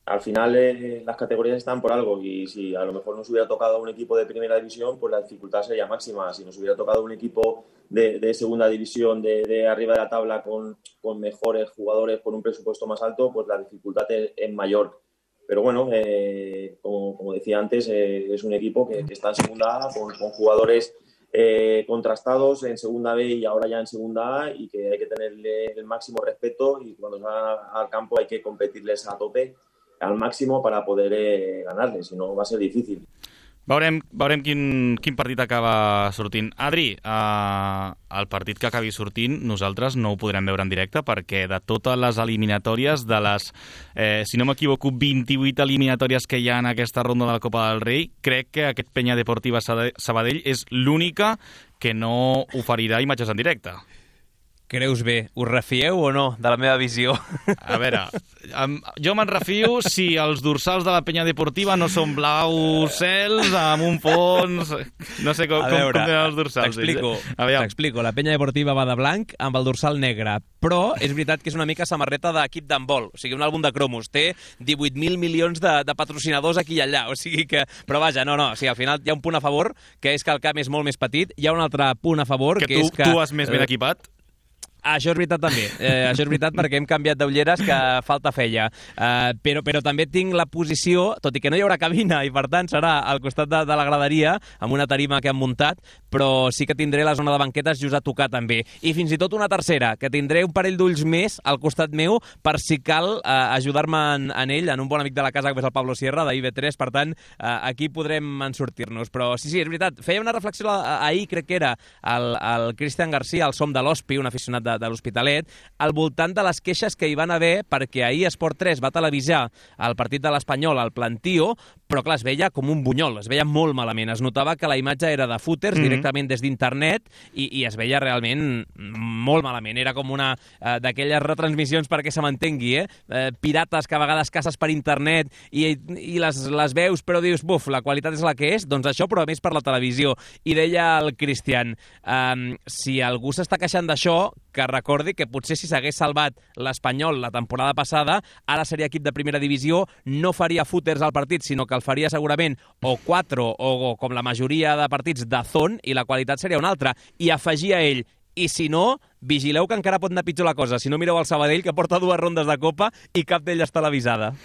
al final las categorías están por algo y si a lo mejor nos hubiera tocado un equipo de primera división, pues la dificultad sería máxima. Si nos hubiera tocado un equipo de segunda división, de arriba de la tabla, con mejores jugadores, con un presupuesto más alto, pues la dificultad es mayor. Pero bueno, como decía antes, es un equipo que está en segunda A con jugadores contrastados en segunda B y ahora ya en segunda A, y que hay que tenerle el máximo respeto, y cuando salgan al campo hay que competirles a tope, al máximo, para poder ganarles, si no va a ser difícil. Veurem quin partit acaba sortint. Adri, el partit que acabi sortint nosaltres no ho podrem veure en directe, perquè de totes les eliminatòries, de les, si no m'equivoco, 28 eliminatòries que hi ha en aquesta ronda de la Copa del Rei, crec que aquest Penya Deportiva Sabadell és l'única que no oferirà imatges en directe. Creus bé, us refieu o no de la meva visió? A veure, jo me'n refio si els dorsals de la Penya Deportiva no són blaus cels amb un fons... No sé com tenen els dorsals. T'explico. La Penya Deportiva va de blanc amb el dorsal negre, però és veritat que és una mica samarreta d'equip d'handbol, o sigui, un àlbum de cromos. Té 18.000 milions de patrocinadors aquí i allà, o sigui que... Però vaja, no, o sigui, al final hi ha un punt a favor, que és que el camp és molt més petit. Hi ha un altre punt a favor, que és que... Tu vas més ben equipat? Això és veritat també, això és veritat perquè hem canviat d'ulleres que falta feia, però també tinc la posició, tot i que no hi haurà cabina i per tant serà al costat de la graderia amb una tarima que han muntat, però sí que tindré la zona de banquetes just a tocar també, i fins i tot una tercera, que tindré un parell d'ulls més al costat meu per si cal ajudar-me en ell, en un bon amic de la casa que és el Pablo Sierra d'IB3, per tant aquí podrem sortir-nos, però sí, és veritat, feia una reflexió ahir, crec que era el Cristian García, el Som de l'Hospi, un aficionat de l'Hospitalet, al voltant de les queixes que hi van haver perquè ahir Esport 3 va televisar el partit de l'Espanyol al Plantío, però clar, es veia com un bunyol, es veia molt malament, es notava que la imatge era de footers directament des d'internet i es veia realment molt malament, era com una d'aquelles retransmissions, perquè se m'entengui, pirates que a vegades caces per internet i les veus, però dius, buf, la qualitat és la que és, doncs això, però a més per la televisió. I deia el Cristian, si algú s'està queixant d'això, que recordi que potser si s'hagués salvat l'Espanyol la temporada passada, ara seria equip de primera divisió, no faria footers al partit, sinó que el faria segurament o 4 o com la majoria de partits de zone, i la qualitat seria una altra. I afegia ell, i si no, vigileu que encara pot anar pitjor la cosa. Si no, mireu el Sabadell, que porta 2 rondes de Copa i cap d'elles televisada.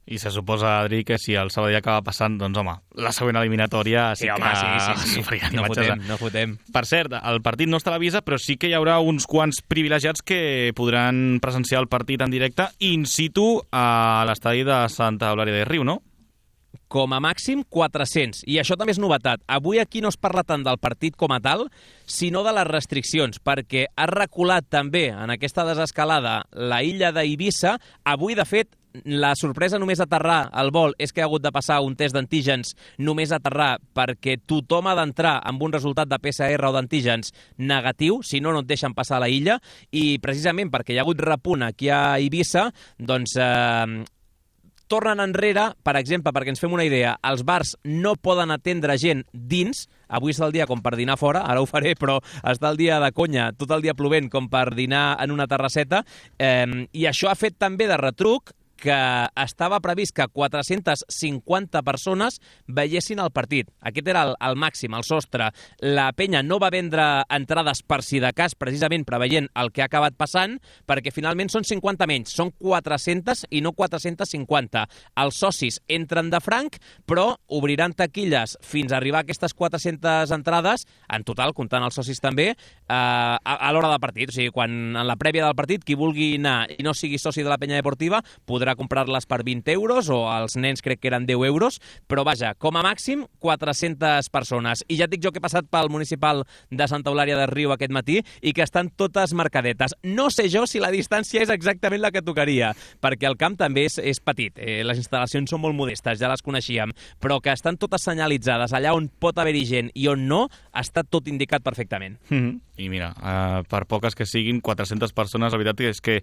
I se suposa, Adri, que si el Sabadell acaba passant, doncs, home, la següent eliminatòria sí no fotem. Per cert, el partit no es televisa, però sí que hi haurà uns quants privilegiats que podran presenciar el partit en directe in situ a l'estadi de Santa Eulàlia de Riu, no? Com a màxim 400, i això també és novetat. Avui aquí no es parla tant del partit com a tal, sinó de les restriccions, perquè ha reculat també en aquesta desescalada la illa d'Eivissa. Avui, de fet, la sorpresa només aterrar al vol és que ha hagut de passar un test d'antígens només aterrar, perquè tothom ha d'entrar amb un resultat de PCR o d'antígens negatiu, si no, no et deixen passar a la illa, i precisament perquè hi ha hagut repunt aquí a Eivissa, doncs tornen enrere, per exemple, perquè ens fem una idea, els bars no poden atendre gent dins. Avui és el dia com per dinar fora, ara ho faré, però està el dia de conya, tot el dia plovent com per dinar en una terrasseta, i això ha fet també de retruc que estava previst que 450 persones veiessin el partit. Aquest era el màxim, el sostre. La penya no va vendre entrades per si de cas, precisament preveient el que ha acabat passant, perquè finalment són 50 menys, són 400 i no 450. Els socis entren de franc, però obriran taquilles fins a arribar a aquestes 400 entrades, en total, comptant els socis també, a l'hora del partit. O sigui, quan en la prèvia del partit, qui vulgui anar i no sigui soci de la Penya Deportiva, podrà comprar-les per 20 euros, o els nens crec que eren 10 euros, però vaja, com a màxim 400 persones. I ja et dic jo que he passat pel municipal de Santa Eulàlia de Riu aquest matí i que estan totes marcadetes. No sé jo si la distància és exactament la que tocaria, perquè el camp també és petit, les instal·lacions són molt modestes, ja les coneixíem, però que estan totes senyalitzades allà on pot haver-hi gent i on no, està tot indicat perfectament. I mira, per poques que siguin, 400 persones, la veritat és que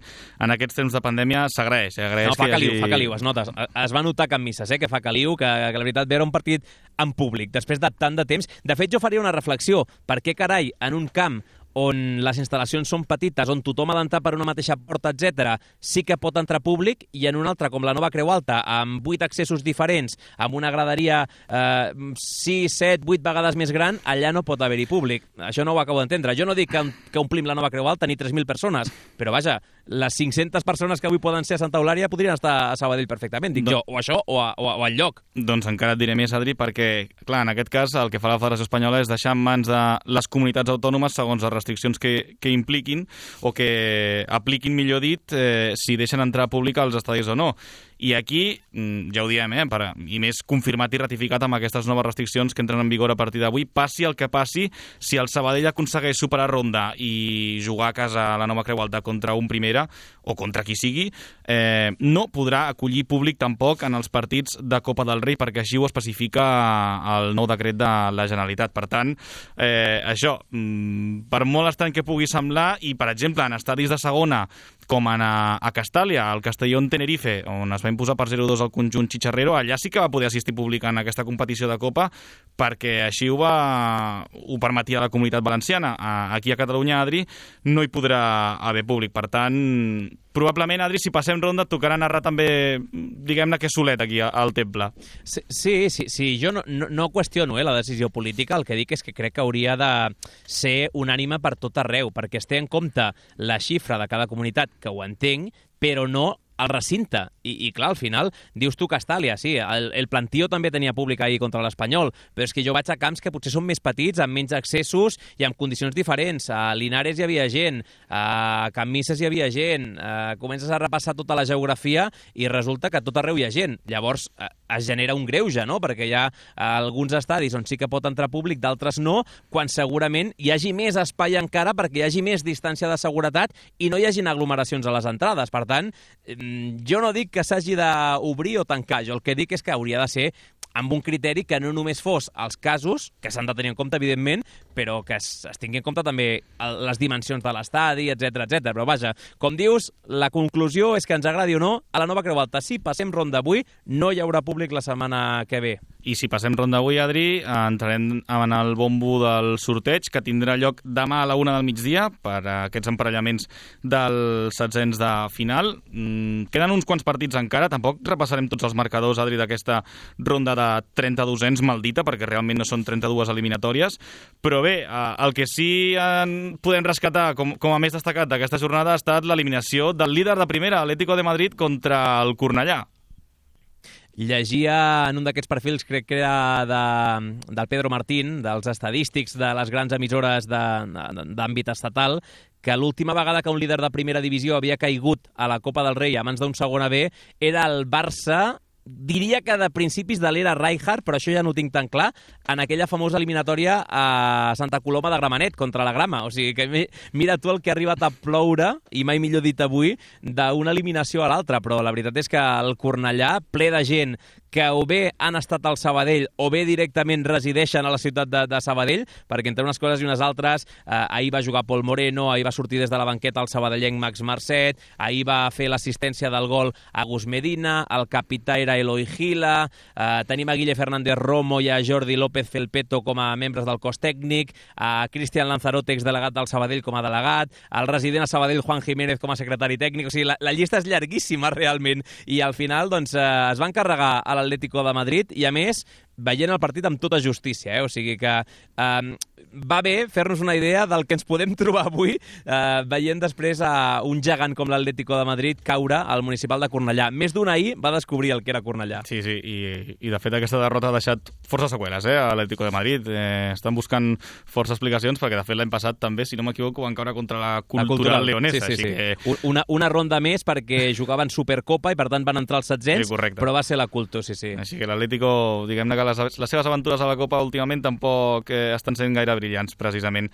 en aquests temps de pandèmia s'agraeix. No, fa caliu, es nota. Es va notar Can Misses, que fa caliu, que la veritat veure un partit en públic, després de tant de temps. De fet, jo faria una reflexió. Per què carai, en un camp on les instal·lacions són petites, on tothom ha d'entrar per una mateixa porta, etc., sí que pot entrar públic, i en una altra, com la Nova Creu Alta, amb 8 accessos diferents, amb una graderia 6, 7, 8 vegades més gran, allà no pot haver-hi públic. Això no ho acabo d'entendre. Jo no dic que omplim la Nova Creu Alta ni 3.000 persones, però vaja, les 500 persones que avui poden ser a Santa Eulària podrien estar a Sabadell perfectament, dic jo, o això o al lloc. Doncs encara et diré més, Adri, perquè, clar, en aquest cas el que fa la Federació Espanyola és deixar en mans de les comunitats autònomes segons les restriccions que impliquin o que apliquin, millor dit, si deixen entrar públic als estadis o no. I aquí, ja ho diem, i més confirmat i ratificat amb aquestes noves restriccions que entren en vigor a partir d'avui, passi el que passi, si el Sabadell aconsegueix superar ronda i jugar a casa a la Nova Creu Alta contra un Primera o contra qui sigui, no podrà acollir públic tampoc en els partits de Copa del Rei, perquè així ho especifica el nou decret de la Generalitat. Per tant, això, per molt estrany que pugui semblar, i per exemple en estadis de segona, com a Castàlia, al Castellón-Tenerife, on es va imposar per 0-2 al conjunt xitxarrero, allà sí que va poder assistir públic en aquesta competició de Copa, perquè així ho permetia la Comunitat Valenciana. Aquí a Catalunya, Adri, no hi podrà haver públic. Per tant, probablement, Adri, si passem ronda, et tocarà narrar també, diguem-ne, que solet aquí al Temple. Sí, jo no qüestiono la decisió política, el que dic és que crec que hauria de ser unànime per tot arreu, perquè es té en compte la xifra de cada comunitat, que ho entenc, però no el recinte. I clar, al final, dius tu Castàlia, sí, el Plantío també tenia públic ahir contra l'Espanyol, però és que jo vaig a camps que potser són més petits, amb menys accessos i amb condicions diferents. A Linares hi havia gent, a Can Misses hi havia gent, comences a repassar tota la geografia i resulta que tot arreu hi ha gent. Llavors es genera un greuge, no?, perquè hi ha alguns estadis on sí que pot entrar públic, d'altres no, quan segurament hi hagi més espai encara perquè hi hagi més distància de seguretat i no hi hagin aglomeracions a les entrades. Per tant, jo no dic que s'hagi d'obrir o tancar, jo el que dic és que hauria de ser amb un criteri que no només fos els casos, que s'han de tenir en compte, evidentment, però que es tingui en compte també les dimensions de l'estadi, etc. Però vaja, com dius, la conclusió és que ens agradi o no, a la Nova Creu Alta, si passem ronda avui, no hi haurà públic la setmana que ve. I si passem ronda avui, Adri, entrarem en el bombo del sorteig, que tindrà lloc demà a la 1 del migdia per aquests emparellaments dels setzents de final. Queden uns quants partits encara, tampoc repassarem tots els marcadors, Adri, d'aquesta ronda de 32ens maldita, perquè realment no són 32 eliminatòries, però bé, el que sí podem rescatar com a més destacat d'aquesta jornada ha estat l'eliminació del líder de primera, Atlético de Madrid, contra el Cornellà. Llegia en un d'aquests perfils, crec que era del Pedro Martín, dels estadístics de les grans emissores d'àmbit estatal, que l'última vegada que un líder de primera divisió havia caigut a la Copa del Rei a mans d'un segona B era el Barça, diria que de principis de l'era Rijkaard, però això ja no ho tinc tan clar, en aquella famosa eliminatòria a Santa Coloma de Gramenet contra la Grama. O sigui que mira tu el que ha arribat a ploure, i mai millor dit avui, d'una eliminació a l'altra. Però la veritat és que el Cornellà, ple de gent que o bé han estat al Sabadell o bé directament resideixen a la ciutat de Sabadell, perquè entre unes coses i unes altres, ahir va jugar Pol Moreno, ahir va sortir des de la banqueta el sabadellenc Max Marcet, ahir va fer l'assistència del gol a Gus Medina, el capità era Eloi Gila, tenim a Guille Fernández Romo i a Jordi López Felpeto com a membres del cos tècnic, a Cristian Lanzarote, exdelegat del Sabadell, com a delegat, el resident a Sabadell Juan Jiménez com a secretari tècnic. O sigui, la llista és llarguíssima realment, i al final doncs, es van carregar a l'Atlético de Madrid i, a més, veient el partit amb tota justícia, o sigui que va bé fer-nos una idea del que ens podem trobar avui veient després a un gegant com l'Atlético de Madrid caure al municipal de Cornellà. Més d'un ahir va descobrir el que era Cornellà. Sí, i de fet aquesta derrota ha deixat força seqüeles a l'Atlético de Madrid. Estan buscant força explicacions, perquè de fet l'any passat també, si no m'equivoco, van caure contra la Cultural Leonesa. Sí. Que... Una ronda més perquè jugaven Supercopa i per tant van entrar als setzents, però va ser la Culto, sí. Així que l'Atlético, diguem-ne que les seves aventures a la Copa últimament tampoc estan sent gaire brillants, precisament.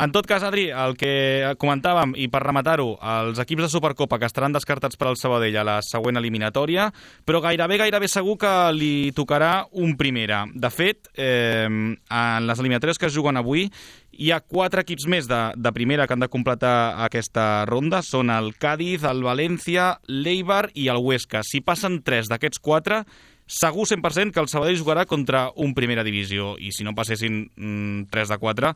En tot cas, Adri, el que comentàvem, i per rematar-ho, els equips de Supercopa que estaran descartats per al Sabadell a la següent eliminatòria, però gairebé segur que li tocarà un Primera. De fet, en les eliminatòries que es juguen avui, hi ha 4 equips més de Primera que han de completar aquesta ronda. Són el Cádiz, el València, l'Eibar i el Huesca. Si passen 3 d'aquests 4, segur 100% que el Sabadell jugarà contra un primera divisió, i si no passessin 3 de 4,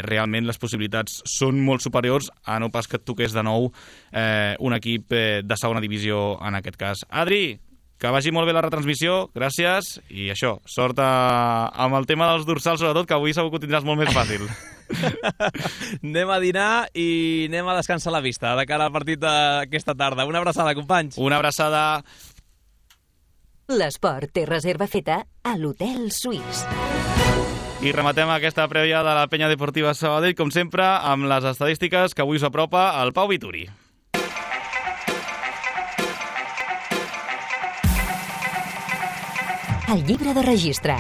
realment les possibilitats són molt superiors a no pas que et toqués de nou un equip de segona divisió en aquest cas. Adri, que vagi molt bé la retransmissió, gràcies, i això, sort amb el tema dels dorsals, sobretot, que avui segur que ho tindràs molt més fàcil. Anem a dinar i anem a descansar la vista de cara al partit d'aquesta tarda. Una abraçada, companys. Una abraçada. L'esport té reserva feta a l'Hotel Suís. I rematem aquesta prèvia de la Penya Deportiva Sabadell, com sempre, amb les estadístiques que avui us apropa el Pau Vituri. El llibre de registre.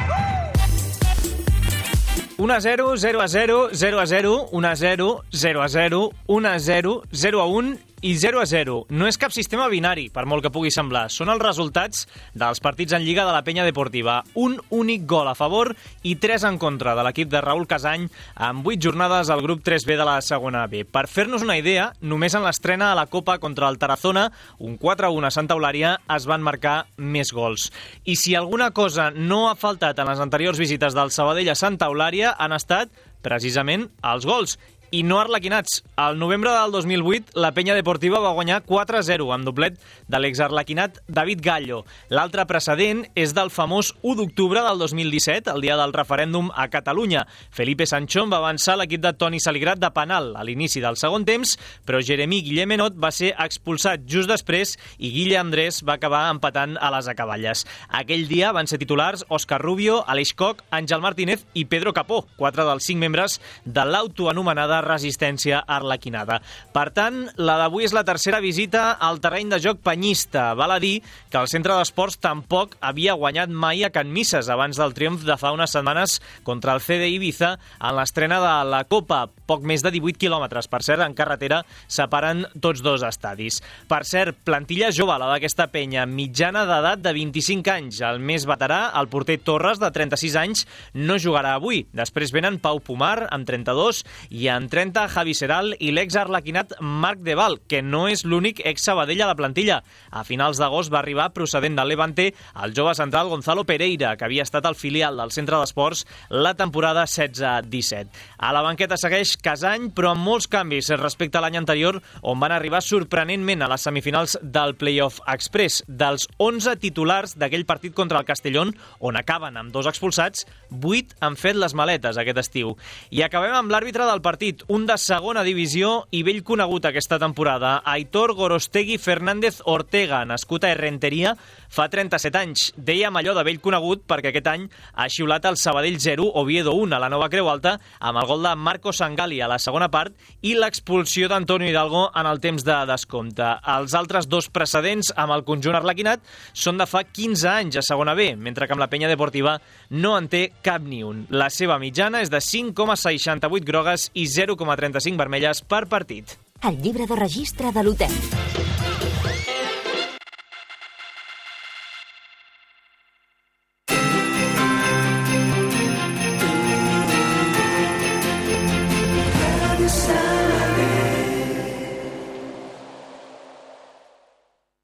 1-0, 0-0, 0-0, 1-0, 0-0, 1-0, 0-1 i 0-0. No és cap sistema binari, per molt que pugui semblar. Són els resultats dels partits en Lliga de la Penya Deportiva. Un únic gol a favor i 3 en contra de l'equip de Raúl Casany amb 8 jornades al grup 3B de la segona B. Per fer-nos una idea, només en l'estrena a la Copa contra el Tarazona, un 4-1 a Santa Eulària, es van marcar més gols. I si alguna cosa no ha faltat en les anteriors visites del Sabadell a Santa Eulària, han estat precisament els gols. I no arlequinats. Al novembre del 2008, la Penya Deportiva va guanyar 4-0 amb doblet de l'exarlequinat David Gallo. L'altre precedent és del famós 1 d'octubre del 2017, el dia del referèndum a Catalunya. Felipe Sanchón va avançar l'equip de Toni Saligrat de penal a l'inici del segon temps, però Jeremí Guillemenot va ser expulsat just després i Guille Andrés va acabar empatant a les acaballes. Aquell dia van ser titulars Òscar Rubio, Aleix Koch, Àngel Martínez i Pedro Capó, 4 dels 5 membres de l'autoanomenada resistència arlequinada. Per tant, la d'avui és la tercera visita al terreny de joc penyista. Val a dir que el centre d'esports tampoc havia guanyat mai a Can Misses abans del triomf de fa unes setmanes contra el CD Ibiza en l'estrena de la Copa. Poc més de 18 quilòmetres, per cert, en carretera separen tots dos estadis. Per cert, plantilla jove, la d'aquesta penya, mitjana d'edat de 25 anys. El més veterà, el porter Torres, de 36 anys, no jugarà avui. Després venen Pau Pomar, amb 32, i en 30, Javi Seral i l'ex-arlequinat Marc Deval, que no és l'únic ex-Sabadell a la plantilla. A finals d'agost va arribar, procedent del Levante, el jove central Gonzalo Pereira, que havia estat el filial del centre d'esports la temporada 16-17. A la banqueta segueix Casany, però amb molts canvis respecte a l'any anterior, on van arribar sorprenentment a les semifinals del Playoff Express. Dels 11 titulars d'aquell partit contra el Castellón, on acaben amb 2 expulsats, 8 han fet les maletes aquest estiu. I acabem amb l'àrbitre del partit, un de segona divisió i vell conegut aquesta temporada, Aitor Gorostegui Fernández Ortega, nascut a Errenteria fa 37 anys. Dèiem allò de vell conegut perquè aquest any ha xiulat el Sabadell 0, Oviedo 1 a la Nova Creu Alta, amb el gol de Marco Sangali a la segona part i l'expulsió d'Antonio Hidalgo en el temps de descompte. Els altres 2 precedents amb el conjunt arlequinat són de fa 15 anys a segona B, mentre que amb la Penya Deportiva no en té cap ni un. La seva mitjana és de 5,68 grogues i 0,35 vermelles per partit. El llibre de registre de l'hotel.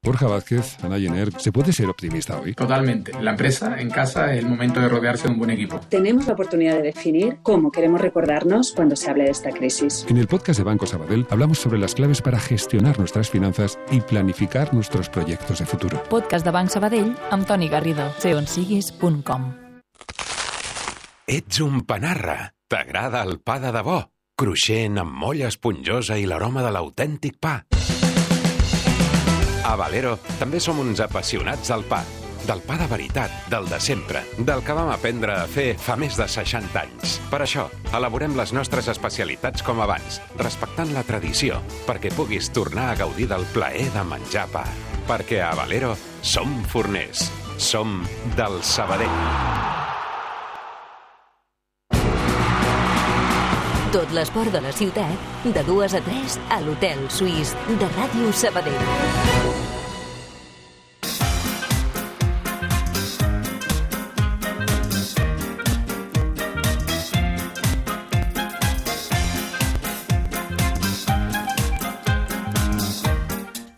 Borja Vázquez, Ana Jenner, ¿se puede ser optimista hoy? Totalmente. La empresa, en casa, es el momento de rodearse de un buen equipo. Tenemos la oportunidad de definir cómo queremos recordarnos cuando se hable de esta crisis. En el podcast de Banco Sabadell hablamos sobre las claves para gestionar nuestras finanzas y planificar nuestros proyectos de futuro. Podcast de Banc Sabadell amb Toni Garrido. seonsiguis.com. Ets un panarra. T'agrada el pa de debò? Cruixent, amb molla esponjosa i l'aroma de l'autèntic pa. A Valero també som uns apassionats del pa de veritat, del de sempre, del que vam aprendre a fer fa més de 60 anys. Per això, elaborem les nostres especialitats com abans, respectant la tradició, perquè puguis tornar a gaudir del plaer de menjar pa. Perquè a Valero som forners, som del Sabadell. Tot l'esport de la ciutat, de 2 a 3 a l'Hotel Suís de Ràdio Sabadell.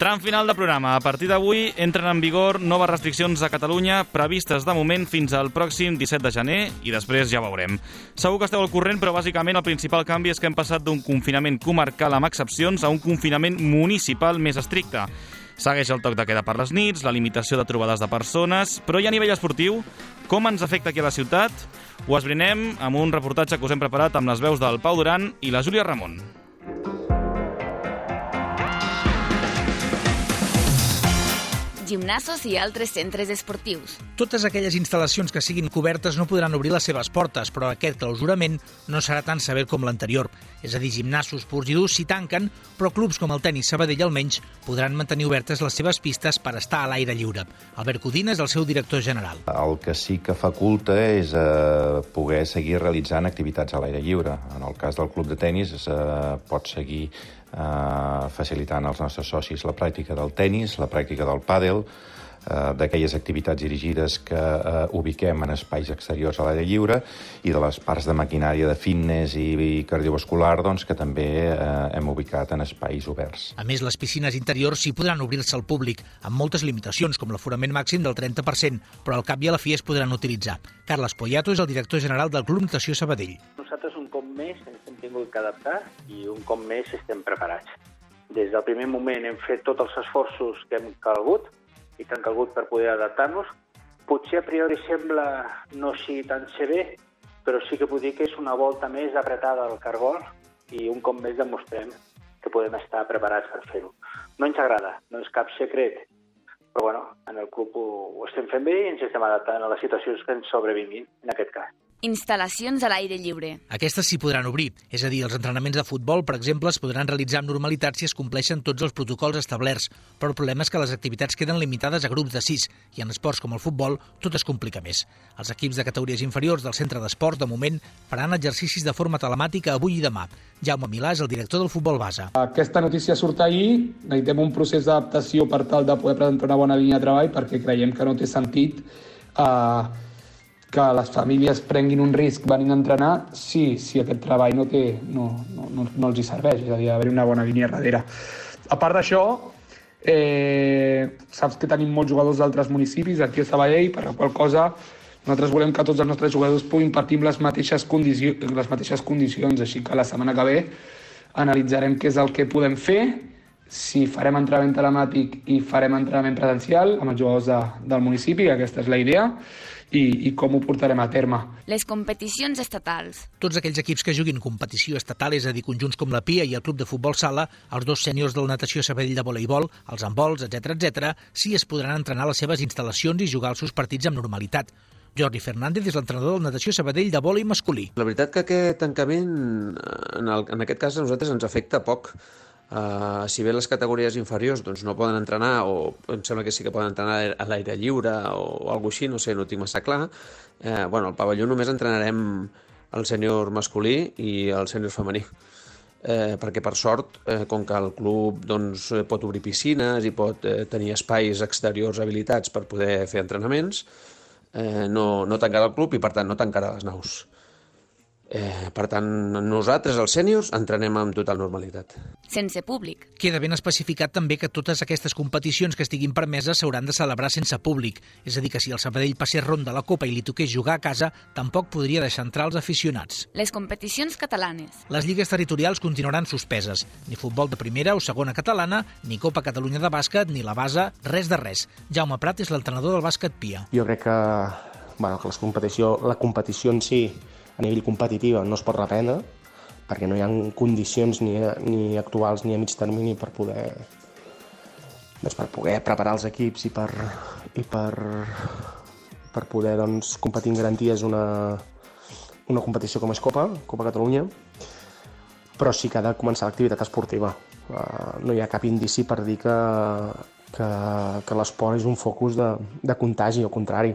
Tram final de programa. A partir d'avui entren en vigor noves restriccions a Catalunya previstes de moment fins al pròxim 17 de gener i després ja veurem. Segur que esteu al corrent, però bàsicament el principal canvi és que hem passat d'un confinament comarcal amb excepcions a un confinament municipal més estricte. Segueix el toc de queda per les nits, la limitació de trobades de persones, però i a nivell esportiu, com ens afecta aquí a la ciutat? Ho esbrinem amb un reportatge que us hem preparat amb les veus del Pau Duran i la Júlia Ramon. Gimnasos i altres centres esportius. Totes aquelles instal·lacions que siguin cobertes no podran obrir les seves portes, però aquest clausurament no serà tan sever com l'anterior. És a dir, gimnasos purs i durs s'hi tanquen, però clubs com el Tenis Sabadell almenys podran mantenir obertes les seves pistes per estar a l'aire lliure. Albert Codina és el seu director general. El que sí que faculta és poder seguir realitzant activitats a l'aire lliure. En el cas del club de tenis pot seguir facilitant als nostres socis la pràctica del tenis, la pràctica del pàdel, d'aquelles activitats dirigides que ubiquem en espais exteriors a l'aire lliure i de les parts de maquinària de fitness i cardiovascular que també hem ubicat en espais oberts. A més, les piscines interiors sí podran obrir-se al públic, amb moltes limitacions, com l'aforament màxim del 30%, però al cap i a la fi es podran utilitzar. Carles Poyato és el director general del Club Natació Sabadell. Nosaltres un cop més ens hem tingut que adaptar i un cop més estem preparats. Des del primer moment hem fet tots els esforços que hem calgut i que han calgut per poder adaptar-nos. Potser a priori sembla no sigui tan sever, però sí que puc dir que és una volta més apretada al cargol i un cop més demostrem que podem estar preparats per fer-ho. No ens agrada, no és cap secret, però bueno, en el club ho estem fent bé i ens estem adaptant a les situacions que ens sobrevinguin en aquest cas. Instal·lacions a l'aire lliure. Aquestes s'hi podran obrir, és a dir, els entrenaments de futbol, per exemple, es podran realitzar amb normalitat si es compleixen tots els protocols establerts, però el problema és que les activitats queden limitades a grups de 6 i en esports com el futbol tot es complica més. Els equips de categories inferiors del centre d'esports, de moment, faran exercicis de forma telemàtica avui i demà. Jaume Milà és el director del futbol base. Aquesta notícia surt ahir, necessitem un procés d'adaptació per tal de poder presentar una bona línia de treball perquè creiem que no té sentit que les famílies prenguin un risc venint a entrenar si aquest treball no els hi serveix, és a dir, haver-hi una bona línia darrere. A part d'això, saps que tenim molts jugadors d'altres municipis aquí a Sabadell, per la qual cosa nosaltres volem que tots els nostres jugadors puguin partir amb les mateixes condicions, així que la setmana que ve analitzarem què és el que podem fer, si farem entrenament telemàtic i farem entrenament presencial amb els jugadors del municipi, aquesta és la idea, i com ho portarem a terme. Les competicions estatals. Tots aquells equips que juguin competició estatal, és a dir, conjunts com la Pia i el Club de Futbol Sala, els 2 sèniors del Natació Sabadell de voleibol, els handbols, etc., sí es podran entrenar a les seves instal·lacions i jugar els seus partits amb normalitat. Jordi Fernández és l'entrenador del Natació Sabadell de vòlei masculí. La veritat que aquest tancament, en aquest cas, a nosaltres ens afecta poc. Si bé les categories inferiors no poden entrenar, o em sembla que sí que poden entrenar a l'aire lliure o alguna cosa així, no sé, no ho tinc massa clar, al pavelló només entrenarem el sènior masculí i el sènior femení. Perquè, per sort, com que el club pot obrir piscines i pot tenir espais exteriors habilitats per poder fer entrenaments, no tancarà el club i, per tant, no tancarà les naus. Per tant, nosaltres, els sèniors, entrenem amb total normalitat. Sense públic. Queda ben especificat també que totes aquestes competicions que estiguin permeses s'hauran de celebrar sense públic. És a dir, que si el Sabadell passés ronda a la Copa i li toqués jugar a casa, tampoc podria deixar entrar els aficionats. Les competicions catalanes. Les lligues territorials continuaran suspeses. Ni futbol de primera o segona catalana, ni Copa Catalunya de bàsquet, ni la base, res de res. Jaume Prat és l'entrenador del bàsquet Pia. Jo crec que la competició en si a nivell competitiva no es pot reprendre perquè no hi ha condicions ni actuals ni a mig termini per poder preparar els equips i per poder competir en garanties una competició com és Copa Catalunya, però sí que ha de començar l'activitat esportiva. No hi ha cap indici per dir que l'esport és un focus de contagi, al contrari.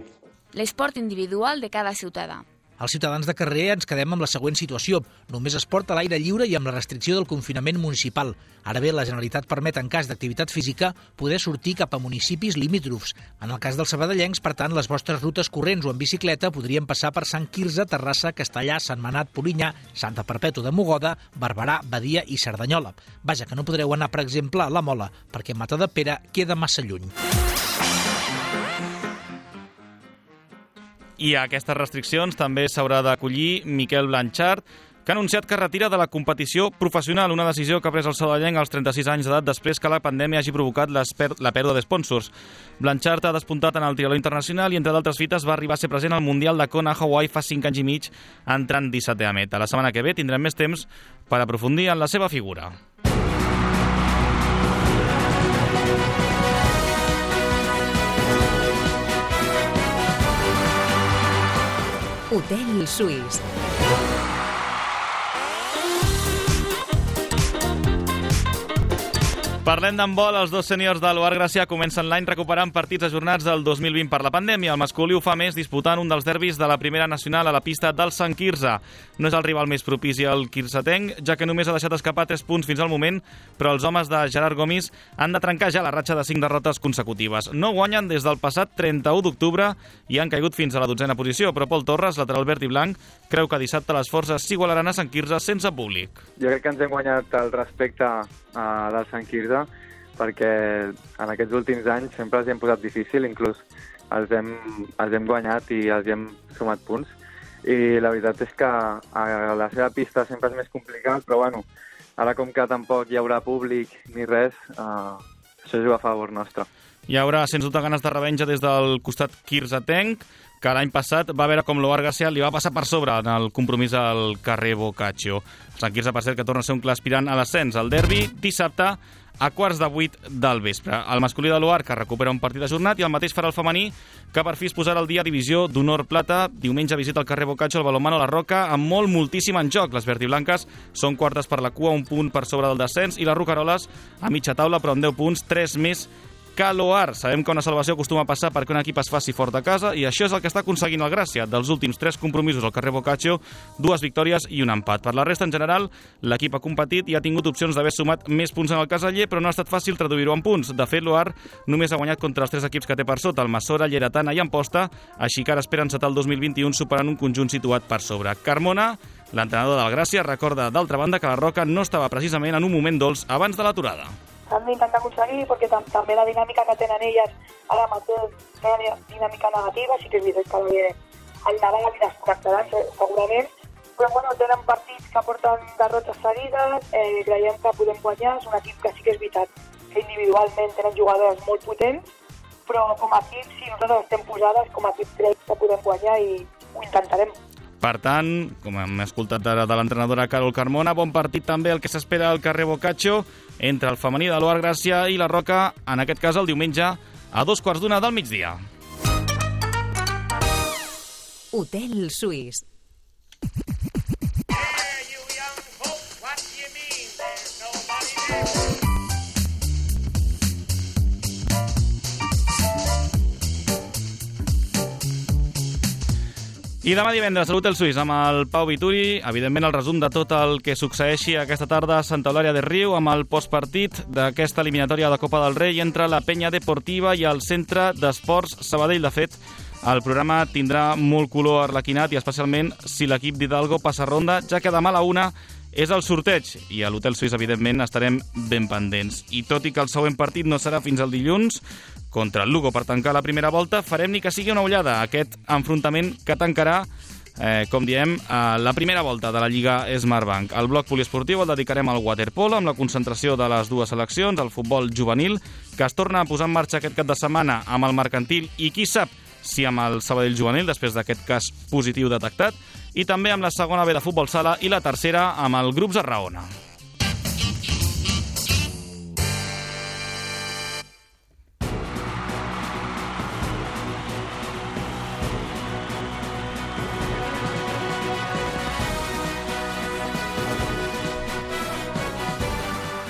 L'esport individual de cada ciutadà. Els ciutadans de carrer ens quedem amb la següent situació. Només es porta a l'aire lliure i amb la restricció del confinament municipal. Ara bé, la Generalitat permet, en cas d'activitat física, poder sortir cap a municipis limítrofs. En el cas dels sabadellencs, per tant, les vostres rutes corrents o en bicicleta podrien passar per Sant Quirze, Terrassa, Castellà, Sentmenat, Polinyà, Santa Perpètua de Mogoda, Barberà, Badia i Cerdanyola. Vaja, que no podreu anar, per exemple, a la Mola, perquè Matadepera queda massa lluny. I a aquestes restriccions també s'haurà d'acollir Miquel Blanchard, que ha anunciat que retira de la competició professional, una decisió que ha pres el sabadellenc als 36 anys d'edat després que la pandèmia hagi provocat la pèrdua d'espònsors. Blanchard ha despuntat en el triatló internacional i, entre d'altres fites, va arribar a ser present al Mundial de Kona a Hawaii fa 5 anys i mig, entrant 17è a meta. La setmana que ve tindrem més temps per aprofundir en la seva figura. Hotel Suís. Parlem d'handbol. Els dos sèniors de l'Oar Gràcia comencen l'any recuperant partits ajornats del 2020 per la pandèmia. El masculí ho fa més disputant un dels derbis de la primera nacional a la pista del Sant Quirze. No és el rival més propici al quirzetenc, ja que només ha deixat escapar 3 punts fins al moment, però els homes de Gerard Gomis han de trencar ja la ratxa de 5 derrotes consecutives. No guanyen des del passat 31 d'octubre i han caigut fins a la 12a posició, però Pol Torres, lateral verd i blanc, creu que dissabte les forces s'igualaran a Sant Quirze sense públic. Jo crec que ens hem guanyat el respecte del Sant Quirze, perquè en aquests últims anys sempre els hem posat difícil, inclús els hem guanyat i els hem sumat punts. I la veritat és que a la seva pista sempre és més complicat, però bueno, ara com que tampoc hi haurà públic ni res, això juga a favor nostre. Hi haurà, sens dubte, ganes de revenja des del costat quirzetenc, que l'any passat va veure com l'Oar Gràcia li va passar per sobre en el compromís al carrer Boccaccio. El Sant Quirze, per cert, que torna a ser un clar aspirant a l'ascens. El derbi dissabte a 7:15 del vespre. El masculí de l'Oar, que recupera un partit ajornat, i el mateix farà el femení, que per fi es posarà al dia divisió d'honor plata. Diumenge visita el carrer Boccaccio el balonmano La Roca, amb moltíssim en joc. Les verdiblanques són quartes per la cua, un punt per sobre del descens, i les rocaroles a mitja taula, però amb 10 punts, 3 més que l'Oar. Sabem que una salvació acostuma a passar perquè un equip es faci fort a casa, i això és el que està aconseguint el Gràcia. Dels últims 3 compromisos al carrer Boccaccio, 2 victòries i un empat. Per la resta, en general, l'equip ha competit i ha tingut opcions d'haver sumat més punts en el caseller, però no ha estat fàcil traduir-ho en punts. De fet, l'Oar només ha guanyat contra els 3 equips que té per sota, el Massora, Lleidatana i Amposta, així que ara espera encetar el 2021 superant un conjunt situat per sobre. Carmona, l'entrenador del Gràcia, recorda d'altra banda que la Roca no estava precisament en un moment dolç abans de l'aturada. Han d'intentar aconseguir, perquè també la dinàmica que tenen elles ara mateix és una dinàmica negativa, sí que és veritat que ve el Nadal i desconnectaran segurament, però bueno, tenen partits que porten derrotes seguides, creiem que podem guanyar, és un equip que sí que és veritat que individualment tenen jugadors molt potents, però com a equip, si nosaltres estem posades, com a equip crec que podem guanyar i ho intentarem. Per tant, com hem escoltat ara de l'entrenadora Carol Carmona, bon partit també el que s'espera al carrer Boccaccio entre el femení de l'Oar Gràcia i la Roca, en aquest cas el diumenge a 2:15 del migdia. Hotel Suís. I demà divendres, Salut el Suís, amb el Pau Vituri. Evidentment, el resum de tot el que succeeixi aquesta tarda a Santa Eulàlia de Riu, amb el postpartit d'aquesta eliminatòria de Copa del Rei entre la Penya Deportiva i el Centre d'Esports Sabadell. De fet, el programa tindrà molt color arlequinat, i especialment si l'equip d'Hidalgo passa ronda, ja que demà a la 1 és el sorteig, i a l'Hotel Suís, evidentment, estarem ben pendents. I tot i que el següent partit no serà fins al dilluns, contra el Lugo per tancar la primera volta, farem ni que sigui una ullada a aquest enfrontament que tancarà, com diem, la primera volta de la Lliga Smartbank. El bloc poliesportiu el dedicarem al waterpolo, amb la concentració de les dues seleccions, el futbol juvenil, que es torna a posar en marxa aquest cap de setmana amb el mercantil i, qui sap, si amb el Sabadell juvenil, després d'aquest cas positiu detectat, i també amb la segona B de futbol sala i la tercera amb el grup Zarraona.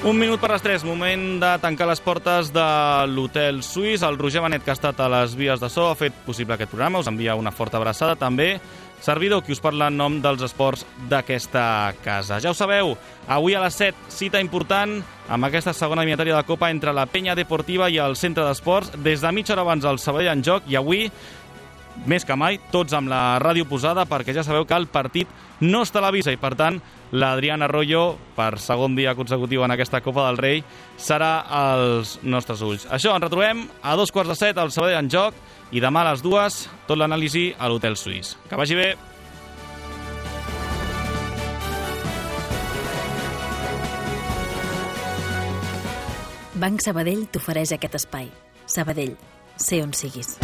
Un minut per les 3, moment de tancar les portes de l'Hotel Suís. El Roger Benet, que ha estat a les vies de so, ha fet possible aquest programa, us envia una forta abraçada. També servidor, qui us parla en nom dels esports d'aquesta casa. Ja ho sabeu, avui a les 7, cita important amb aquesta segona eliminatòria de Copa entre la Penya Deportiva i el Centre d'Esports. Des de mitja hora abans el Sabadell en joc, i avui, més que mai, tots amb la ràdio posada, perquè ja sabeu que el partit no es televisa i, per tant, l'Adrián Arroyo, per segon dia consecutiu en aquesta Copa del Rei, serà als nostres ulls. Això, ens retrobem a 7:15 al Sabadell en joc, i demà a les 2, tot l'anàlisi a l'Hotel Suís. Que vagi bé! Banc Sabadell t'ofereix aquest espai. Sabadell, sé on siguis.